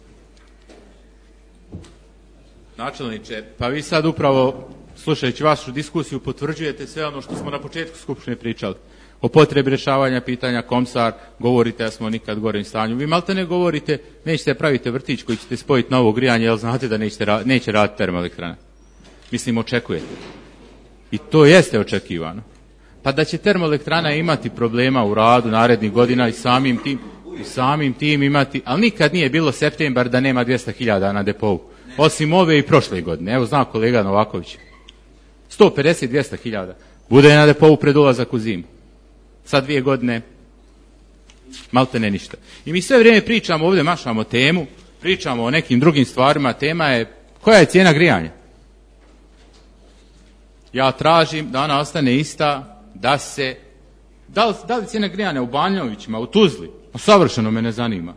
Načelniče, pa vi sad upravo, slušajući vašu diskusiju, potvrđujete sve ono što smo na početku Skupštine pričali. O potrebi rješavanja pitanja Komsar, govorite da smo nikad gorem stanju. Vi malte ne govorite, nećete praviti vrtić koji ćete spojiti na ovo grijanje, jer znate da neće raditi termoelektrana. Mislim, očekujete. I to jeste očekivano. Pa da će termoelektrana imati problema u radu narednih godina i samim tim imati, ali nikad nije bilo septembar da nema 200.000 na depovu. Osim ove i prošle godine. Evo zna kolega Novaković. 150-200.000. Bude na depovu pred ulazak u zimu. Sad 2 godine malte ne ništa. I mi sve vrijeme pričamo ovdje, mašamo temu, pričamo o nekim drugim stvarima, tema je koja je cijena grijanja. Ja tražim da ona ostane ista, da se, da li cijena grijanja u Banjovićima, u Tuzli, savršeno me ne zanima.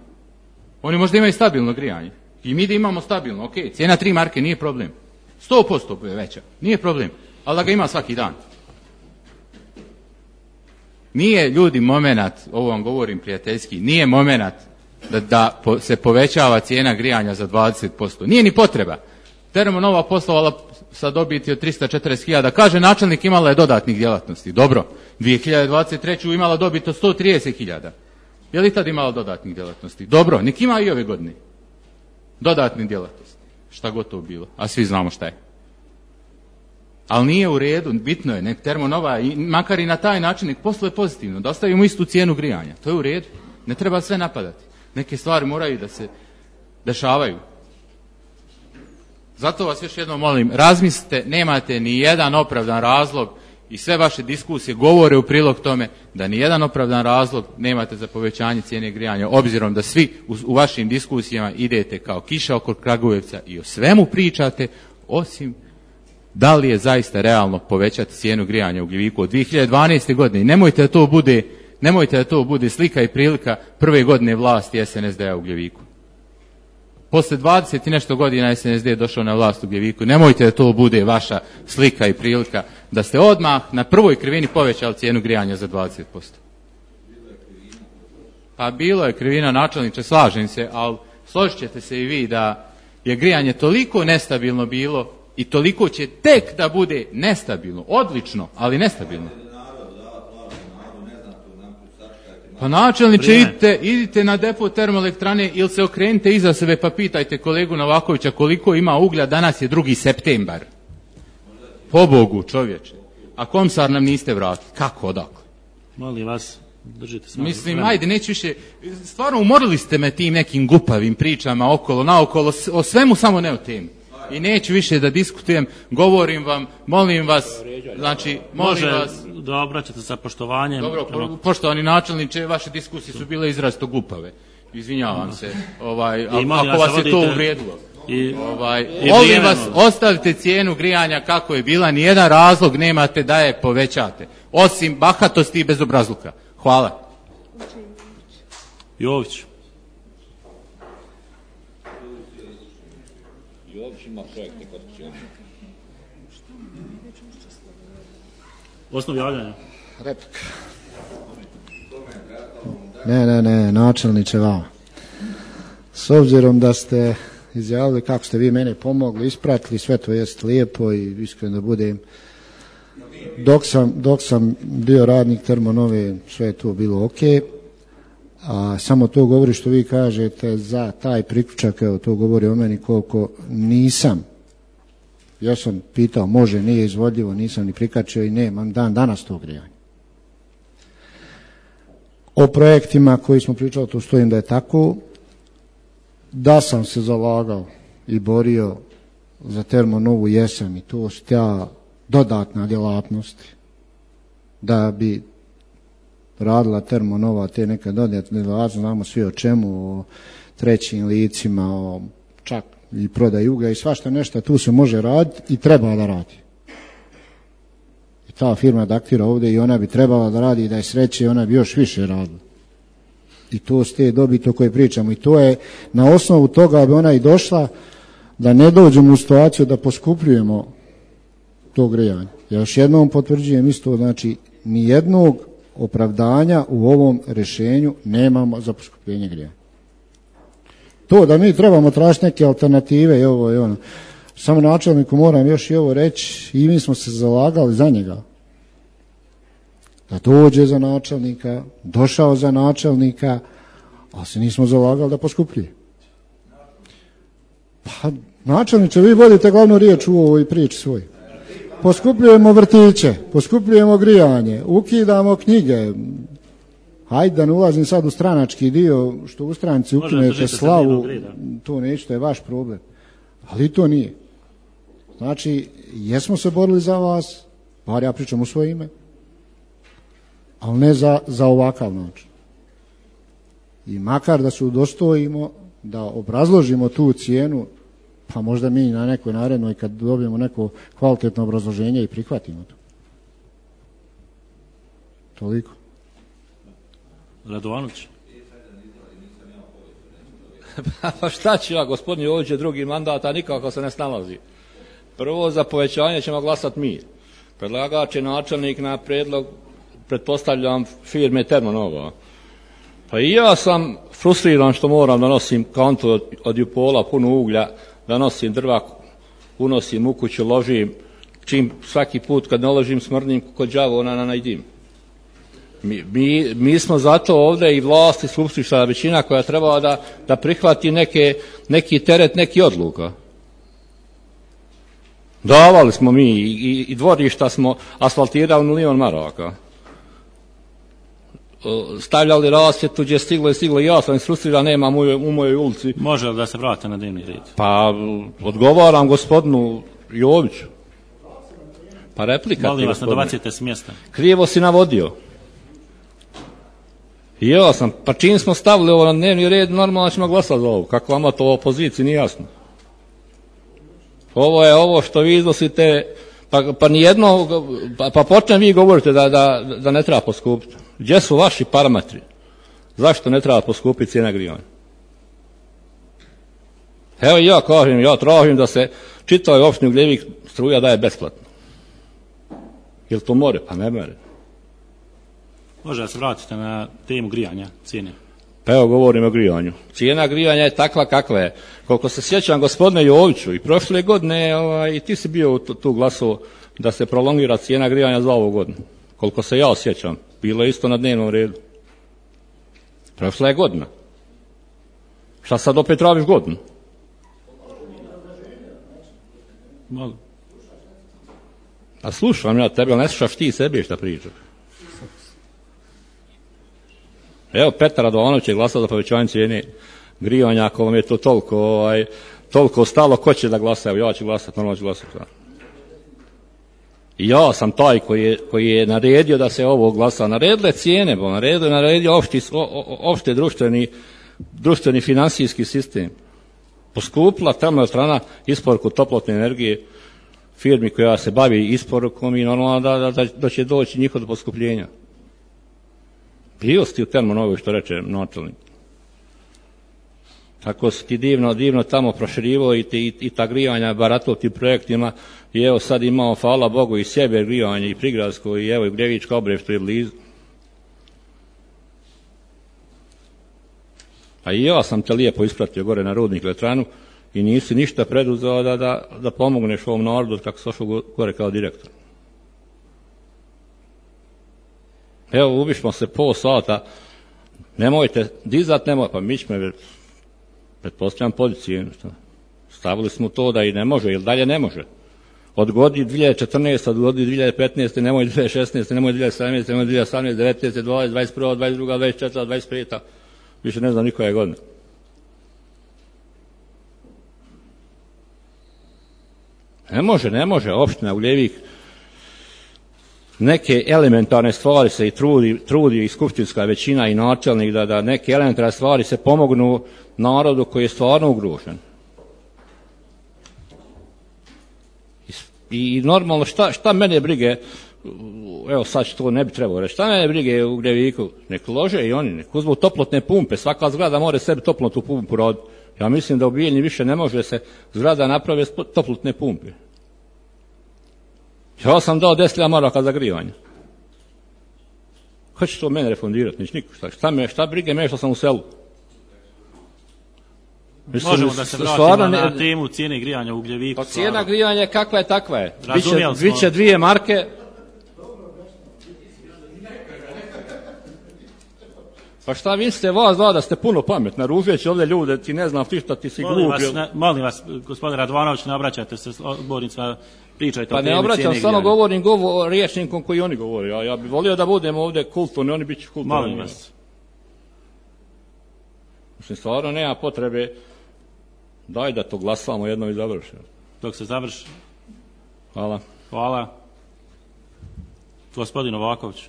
Oni možda imaju stabilno grijanje. I mi da imamo stabilno, ok, cijena 3 marke nije problem. 100% je veća, nije problem, ali da ga ima svaki dan. Nije, ljudi, momenat, ovo vam govorim prijateljski, nije momenat da se povećava cijena grijanja za 20%. Nije ni potreba. Termonova poslovala sa dobiti od 340.000. Kaže načelnik imala je dodatnih djelatnosti. Dobro. 2023. imala dobit od 130.000. Je li tad imala dodatnih djelatnosti? Dobro. Nek ima i ove godine. Dodatnih djelatnosti. Šta god to bilo. A svi znamo šta je. Ali nije u redu. Bitno je. Nek Termonova, makar i na taj način, nek posluje pozitivno. Da ostavimo istu cijenu grijanja. To je u redu. Ne treba sve napadati. Neke stvari moraju da se dešavaju. Zato vas još jednom molim, razmislite, nemate ni jedan opravdan razlog i sve vaše diskusije govore u prilog tome da ni jedan opravdan razlog nemate za povećanje cijene grijanja, obzirom da svi u vašim diskusijama idete kao kiša oko Kragujevca i o svemu pričate, osim da li je zaista realno povećati cijenu grijanja u Gljeviku od 2012. godine. I nemojte da to bude slika i prilika prve godine vlasti SNSD-a u Gljeviku. Posle 20 i nešto godina SNSD je došao na vlast u Gljeviku. Nemojte da to bude vaša slika i prilika da ste odmah na prvoj krivini povećali cijenu grijanja za 20%. Pa bilo je krivina, načelniče, slažem se, ali složit ćete se i vi da je grijanje toliko nestabilno bilo i toliko će tek da bude nestabilno. Odlično, ali nestabilno. Pa načelniče, idite na depo termoelektrane ili se okrenite iza sebe pa pitajte kolegu Novakovića koliko ima uglja, danas je 2. septembar. Po Bogu, čovječe. A Komsar nam niste vratili. Kako, odakle? Molim vas, držite se. Mislim, ajde, neću više. Stvarno umorili ste me tim nekim gupavim pričama okolo, naokolo, o svemu samo ne o temi. I neću više da diskutujem, govorim vam, molim vas, znači, molim vas. Da obraćate sa poštovanjem. Dobro, poštovani načelniče, vaše diskusije su bile izrazito gupave. Izvinjavam se, ako vas je to uvrijedilo. Molim vas, ostavite cijenu grijanja kako je bila, nijedan razlog nemate da je povećate. Osim bahatosti i bezobrazluka. Hvala. Jović. Osnov javljanja. Replika. Ne, načelniče vama. S obzirom da ste izjavili kako ste vi mene pomogli, ispratili, sve to jest lijepo i iskreno da budem. Dok sam bio radnik Termonove, sve je to bilo ok. A samo to govori što vi kažete za taj priključak, evo to govori o meni koliko nisam. Ja sam pitao, može, nije izvodljivo, nisam ni prikačio i nemam dan danas to grijanje. O projektima koji smo pričali, tu stojim da je tako, da sam se zalagao i borio za Termonovu jesam i to su ta dodatna djelatnosti da bi radila Termonova te neke dodatne djelatnosti, znamo svi o čemu, o trećim licima, o čak i prodaj uglja i svašta nešto, tu se može raditi i treba da radi. I ta firma daktira ovdje i ona bi trebala da radi i da je sreće i ona bi još više radila. I to s te dobiti o kojoj pričamo. I to je na osnovu toga bi ona i došla da ne dođemo u situaciju da poskupljujemo to grijanje. Ja još jednom potvrđujem isto, znači nijednog opravdanja u ovom rješenju nemamo za poskupljenje grijanja. To da mi trebamo tražiti neke alternative i ovo i ono. Samo načelniku moram još i ovo reći, i mi smo se zalagali za njega. Da dođe za načelnika, došao za načelnika, ali se nismo zalagali da poskupljuje. Pa načelniče, vi vodite glavnu riječ u ovoj priči svoj. Poskupljujemo vrtiće, poskupljujemo grijanje, ukidamo knjige. Hajde da ne ulazim sad u stranački dio, što u stranci ukinete slavu, to neće, to je vaš problem. Ali to nije. Znači, jesmo se borili za vas, bar ja pričam u svoje ime, ali ne za ovakav način. I makar da se udostojimo, da obrazložimo tu cijenu, pa možda mi na nekoj narednoj kad dobijemo neko kvalitetno obrazloženje i prihvatimo to. Toliko. Radovanović. Pa šta ću ja, gospodin Jović je drugi mandat, a nikako se ne snalazi. Prvo za povećanje ćemo glasati mi. Predlagač je načelnik na predlog, pretpostavljam, firme Termonova. Pa i ja sam frustriran što moram da nosim kantu od Jupola puno uglja, da nosim drva, unosim u kuću, ložim, čim svaki put kad naložim smrdim kod đavo na najdim. Mi smo zato ovdje i vlast i skupštinska većina koja treba da prihvati neki teret, neki odluka. Davali smo mi i dvorišta smo asfaltirali milion maraka. Stavljali rasvjetu gdje je stiglo i ja sam isfrustriran, nemam u mojoj ulici. Može li da se vrate na dnevni red? Pa odgovaram gospodinu Joviću. Pa replika. Molim vas, ne dobacite s mjesta. Krivo si navodio. I ja sam, pa čim smo stavili ovo na dnevni red, normalno ćemo glasati za ovo. Kako vama to u opoziciji nije jasno. Ovo je ovo što vi iznosite, pa nijedno, pa počnem vi govorite da ne treba poskupiti. Gdje su vaši parametri? Zašto ne treba poskupiti cijena grijanja? Evo ja kažem, ja tražim da se čitavoj opštini Ugljevik struja daje besplatno. Jel to more? Pa ne more. Može da se vratite na temu grijanja, cijene. Pa evo govorim o grijanju. Cijena grijanja je takva kakva je. Koliko se sjećam gospodine Joviću, i prošle godine i ti si bio tu glasovao da se prolongira cijena grijanja za ovu godinu. Koliko se ja sjećam, bilo je isto na dnevnom redu. Prošla je godina. Šta sad opet tražiš godinu? Mogu. A slušam ja tebe, ali ne slušaš ti sebi šta pričaš. Evo, Petar Radovanović je glasao za povećanje cijene grijanja, ako vam je to toliko stalo, ko će da glasa? Evo, ja ću glasati, normalno ću glasati. I ja sam taj koji je naredio da se ovo glasa. Naredile cijene, naredio opšte društveni financijski sistem. Poskupila termoelektrana isporuku toplotne energije firmi koja se bavi isporukom i normalno da će doći njihov do poskupljenja. Bio si u Termonovu, što reče načelnik. Tako si ti divno tamo proširivo i ta grijanja baratov tim projektima i evo sad imamo, hvala Bogu, i sjever grijanje i prigradsko i evo i Gljevička Obrež, što je blizu. A i ja sam te lijepo ispratio gore na Rudnik Elektranu i nisi ništa preduzeo da pomogneš ovom narodu kako si došao gore kao direktor. Evo, ubišmo se pol sata, nemojte dizat, pa mi ćemo, pretpostavljam, podići cijenu. Stavili smo to da i ne može, ili dalje ne može. Odgodi 2014, odgodi 2015, nemoj 2016, nemoj 2017, nemoj 2018, 19, 20, 21, 22, 24, 25, više ne znam nikoje godine. Ne može, opština Ugljevik neke elementarne stvari se i trudi i skupštinska većina i načelnik da neke elementarne stvari se pomognu narodu koji je stvarno ugrožen. I normalno šta mene brige, evo sad što ne bi trebao reći, šta mene brige u Gljeviku, nek lože i oni, nek uzmu toplotne pumpe, svaka zgrada mora sebi toplotnu pumpu raditi. Ja mislim da u Bijeljni više ne može se zgrada napravi toplotne pumpe. Ja sam dao 10.000 maraka za grijanje. Ko će to mene refundirati? Nič niko. Šta brige me što sam u selu? Možemo da se vratimo na temu cijene grijanja u Gljeviku. Pa cijena grijanja kakva je takva je. Biće 2 marke. Pa šta vi ste vas dva da ste puno pametna, ružeći ovdje ljude, ti ne znam ti šta, ti si glup. Molim vas, gospodin Radovanović, ne obraćate se odbornicima, pričajte o temi cijene grijanja. Pa ne obraćam, samo govorim riječnikom koji oni govore. Ja bih volio da budemo ovdje kulturni, oni bit će kulturni. Molim vas. Mislim, stvarno nema potrebe, daj da to glasamo jednom i završimo. Dok se završi. Hvala. Hvala. Gospodin Novaković.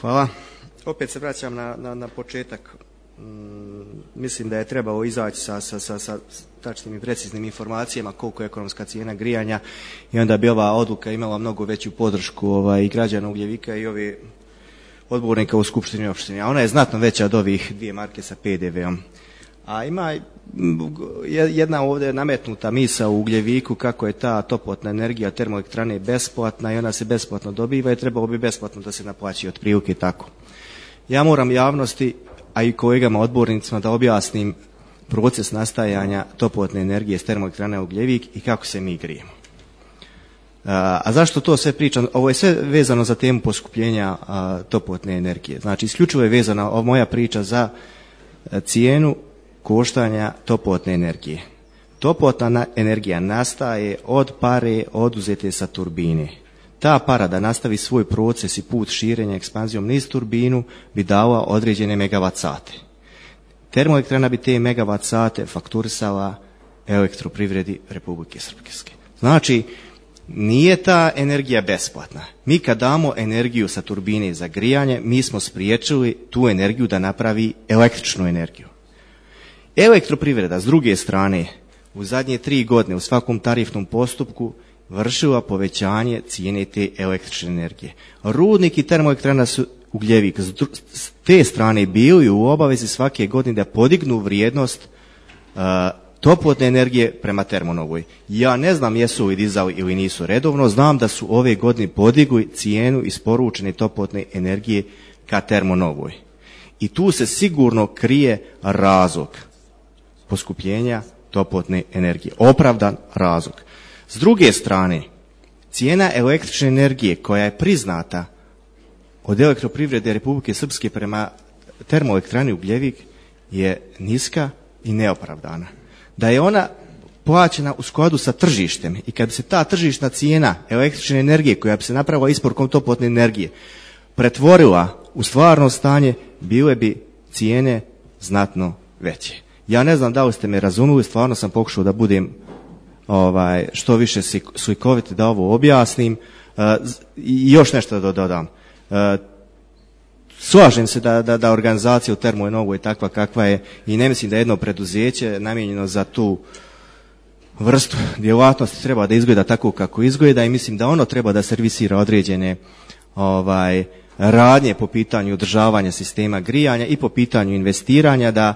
Hvala. Opet se vraćam na početak. Mislim da je trebalo izaći sa tačnim i preciznim informacijama koliko je ekonomska cijena grijanja i onda bi ova odluka imala mnogo veću podršku i građana Ugljevika i ovi odbornika u skupštini i opštini. A ona je znatno veća od ovih 2 marke sa PDV-om. A ima jedna ovdje nametnuta misa u Ugljeviku kako je ta toplotna energija termoelektrane besplatna i ona se besplatno dobiva i trebalo bi besplatno da se naplaći otprilike tako. Ja moram javnosti, a i kolegama odbornicima da objasnim proces nastajanja toplotne energije s termoelektrane Ugljevik i kako se mi grijemo. A zašto to sve pričam? Ovo je sve vezano za temu poskupljenja toplotne energije. Znači, isključivo je vezana moja priča za cijenu koštanja toplotne energije. Toplotna energija nastaje od pare oduzete sa turbine. Ta para da nastavi svoj proces i put širenja ekspanzijom niz turbinu bi dala određene megavat sate. Termoelektrana bi te megavat sate fakturisala Elektroprivredi Republike Srpske. Znači, nije ta energija besplatna. Mi kad damo energiju sa turbine za grijanje, mi smo spriječili tu energiju da napravi električnu energiju. Elektroprivreda, s druge strane, u zadnje 3 godine u svakom tarifnom postupku vršila povećanje cijene te električne energije. Rudnik i termoelektrana su Ugljevik s te strane bili u obavezi svake godine da podignu vrijednost toplotne energije prema Termonovoj. Ja ne znam jesu li dizali ili nisu redovno, znam da su ove godine podigli cijenu isporučene toplotne energije ka Termonovoj. I tu se sigurno krije razlog poskupljenja toplotne energije, opravdan razlog. S druge strane, cijena električne energije koja je priznata od Elektroprivrede Republike Srpske prema termoelektrani Ugljevik je niska i neopravdana. Da je ona plaćena u skladu sa tržištem i kad bi se ta tržišna cijena električne energije koja bi se napravila isporukom toplotne energije pretvorila u stvarno stanje, bile bi cijene znatno veće. Ja ne znam da li ste me razumili, stvarno sam pokušao da budem što više slikovit da ovo objasnim. I još nešto da dodam. Slažem se da organizacija u Termoj Novoj je takva kakva je i ne mislim da jedno preduzeće namijenjeno za tu vrstu djelatnosti treba da izgleda tako kako izgleda i mislim da ono treba da servisira određene radnje po pitanju održavanja sistema grijanja i po pitanju investiranja, da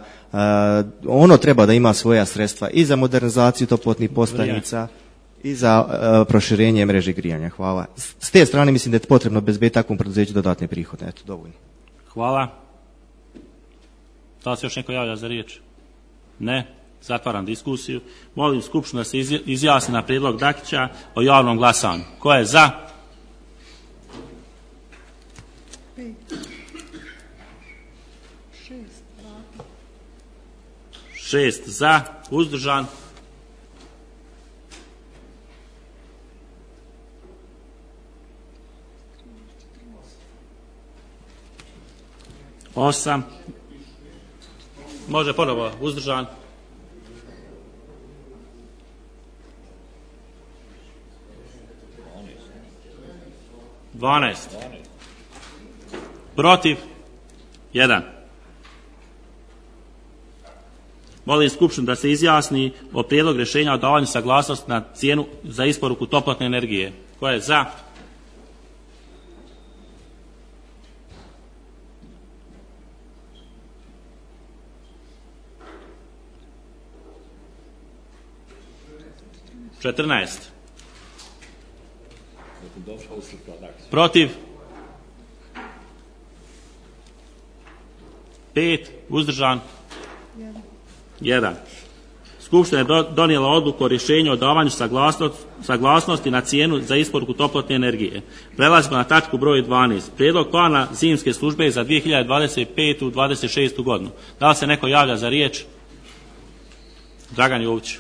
ono treba da ima svoja sredstva i za modernizaciju toplotnih postavnica i za proširenje mreže grijanja. Hvala. S te strane mislim da je potrebno obezbediti takvom preduzeću dodatne prihode. Eto, dovoljno. Hvala. Da li se još neko javlja za riječ? Ne. Zatvaram diskusiju. Molim Skupštinu da se izjasni na prijedlog Dakića o javnom glasanju. Ko je za? 6 za, uzdržan. Osam. Može ponovo, uzdržan. 12. Protiv 1. Molim Skupštinu da se izjasni o prijedlogu rješenja o davanju saglasnosti na cijenu za isporuku toplotne energije. Ko je za? Četrnaest. Protiv 5. Uzdržan 1. Skupština je donijela odluku o rješenju o davanju saglasnosti na cijenu za isporuku toplotne energije. Prelazimo na tačku broj 12. Prijedlog plana zimske službe za 2025-26. godinu. Da li se neko javlja za riječ? Dragan Jović.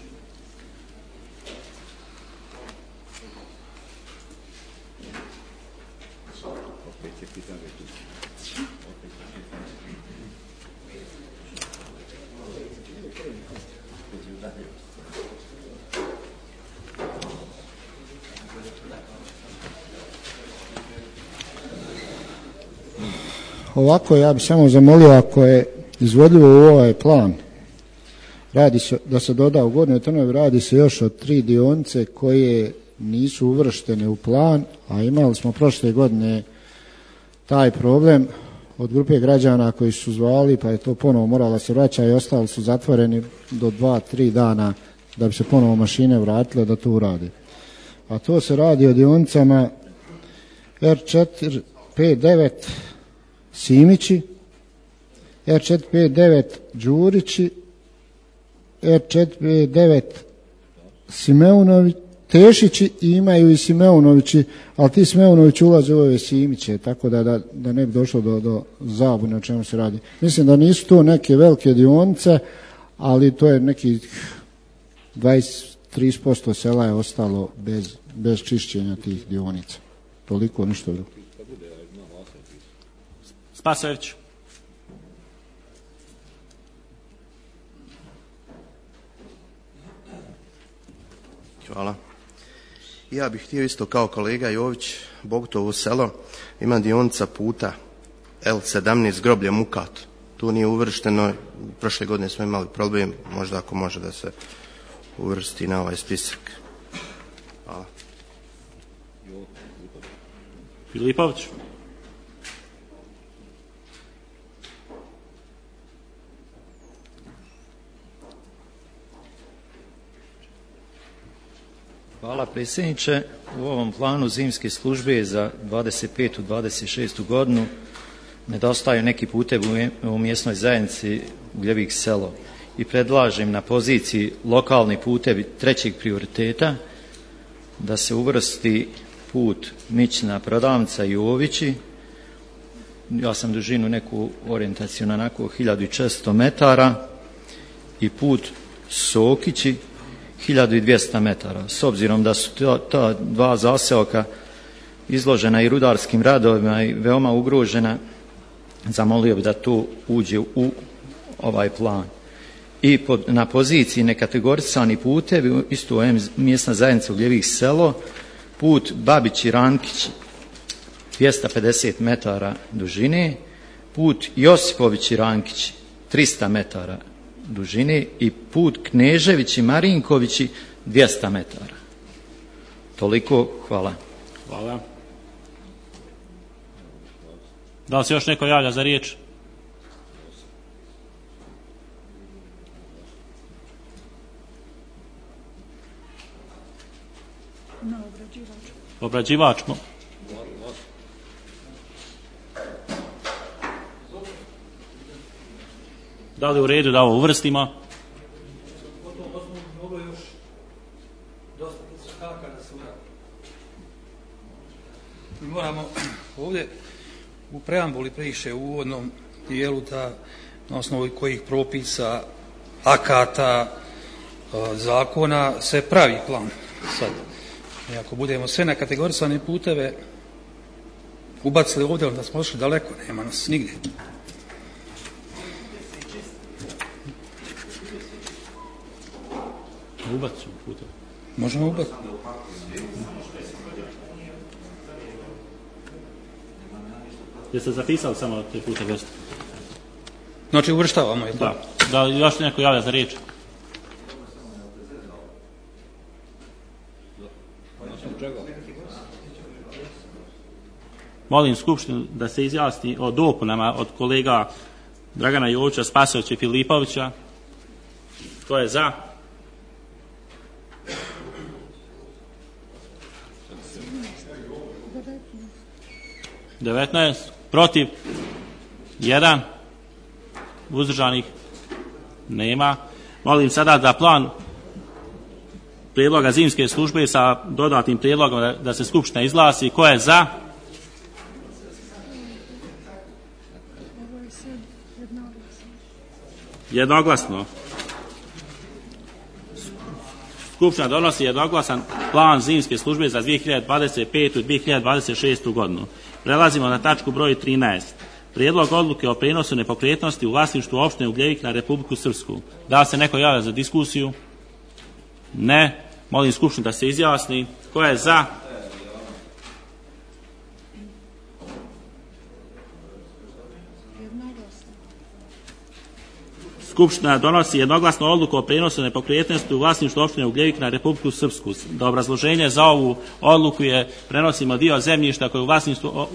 Ovako, ja bih samo zamolio, ako je izvodljivo u ovaj plan, radi se, da se doda u Gornjoj Trnovi, radi se još o 3 dionice koje nisu uvrštene u plan, a imali smo prošle godine taj problem od grupe građana koji su zvali, pa je to ponovo moralo se vraća i ostali su zatvoreni do 2-3 dana da bi se ponovo mašine vratile da to urade. A to se radi o dionicama R459 Simići, R459 Đurići, R459 Simeunović, Tešići i imaju i Simeunovići, ali ti Simeunovići ulaze u ove Simiće, tako da ne bi došlo do zabune o čemu se radi. Mislim da nisu to neke velike dionice, ali to je nekih 20-30% sela je ostalo bez čišćenja tih dionica. Toliko, ništa drugo. Spasojević. Hvala. Ja bih htio isto kao kolega Jović, Bogutovo selo, ima dionica puta L17 groblje Mukat. Tu nije uvršteno, prošle godine smo imali problem, možda ako može da se uvrsti na ovaj spisak. Hvala. Filipović. Hvala predsjedniče. U ovom planu zimske službe za 25. 26. godinu nedostaju neki putevi u mjesnoj zajednici Ugljevik selo i predlažem na poziciji lokalni putevi trećeg prioriteta da se uvrsti put Mićna prodavnica i Jovići. Ja sam dužinu neku orijentaciju na onako 1400 metara i put Sokići 1200 metara. S obzirom da su ta dva zaseoka izložena i rudarskim radovima i veoma ugrožena, zamolio bi da to uđe u ovaj plan. I na poziciji nekategorisani putevi, isto mjesna zajednica Ugljevik selo, put Babići-Rankić 250 metara dužine, put Josipovići-Rankić 300 metara dužine i put Kneževići-Marinkovići 200 metara. Toliko, hvala. Hvala. Da li se još neko javlja za riječ? Obrađivač. Da li u redu da ovo uvrstimo? Moglo još dosta iskaka da se uradi. Mi moramo ovdje u preambuli priše u uvodnom dijelu da na osnovu kojih propisa, akata, zakona se pravi plan. Sad, ako budemo sve na kategorisane puteve ubacili ovdje, onda smo ošli daleko, nema nas nigdje. Ubacimo puteve. Možemo ubaciti. Jeste zapisali samo te puteve? Znači uvrštavamo je. Da. Da li još neko javlja za riječ? Molim Skupštinu da se izjasni o dopunama od kolega Dragana Jovića, Spasovića i Filipovića. Tko je za? (19) Protiv? 1? Uzdržanih? Nema. Molim sada da plan prijedloga zimske službe sa dodatnim prijedlogom da se Skupština izglasi. Ko je za? Jednoglasno. Skupština donosi jednoglasan plan zimske službe za 2025. i 2026. godinu. Prelazimo na tačku broj 13. Prijedlog odluke o prijenosu nepokretnosti u vlasništvu opštine Ugljevik na Republiku Srpsku. Da li se neko javlja za diskusiju? Ne. Molim Skupštinu da se izjasni. Ko je za? Skupština donosi jednoglasnu odluku o prijenosu nepokretnosti u vlasništvu opštine Ugljevik na Republiku Srpsku. Da obrazloženje za ovu odluku je prenosimo dio zemljišta koje je u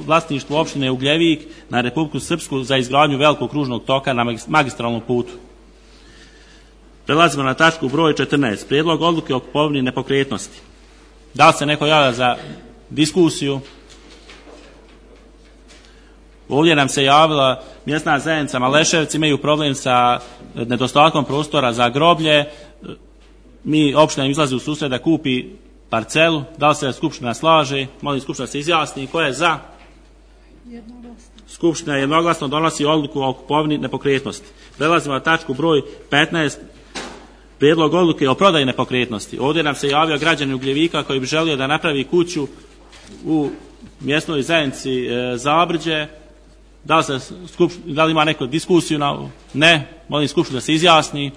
vlasništvu opštine Ugljevik na Republiku Srpsku za izgradnju velikog kružnog toka na magistralnom putu. Prelazimo na tačku broj 14. Prijedlog odluke o kupovini nepokretnosti. Da li se neko javlja za diskusiju? Ovdje nam se javila mjesna zajednica Maleševci, imaju problem sa nedostatkom prostora za groblje. Opština im izlazi u susret da kupi parcelu. Da li se Skupština slaže? Molim Skupština se izjasni. Ko je za? Skupština jednoglasno donosi odluku o kupovini nepokretnosti. Prelazimo na tačku broj 15. Prijedlog odluke o prodaji nepokretnosti. Ovdje nam se javio građanin Ugljevika koji bi želio da napravi kuću u mjesnoj zajednici Zabrđe. Da li ima neku diskusiju? Ne. Molim Skupštinu da se izjasni.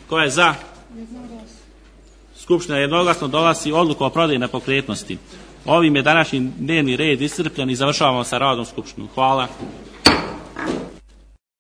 Ko je za? Skupština jednoglasno donosi odluku o prodaji nepokretnosti. Ovim je današnji dnevni red iscrpljen i završavamo sa radom Skupštinu. Hvala.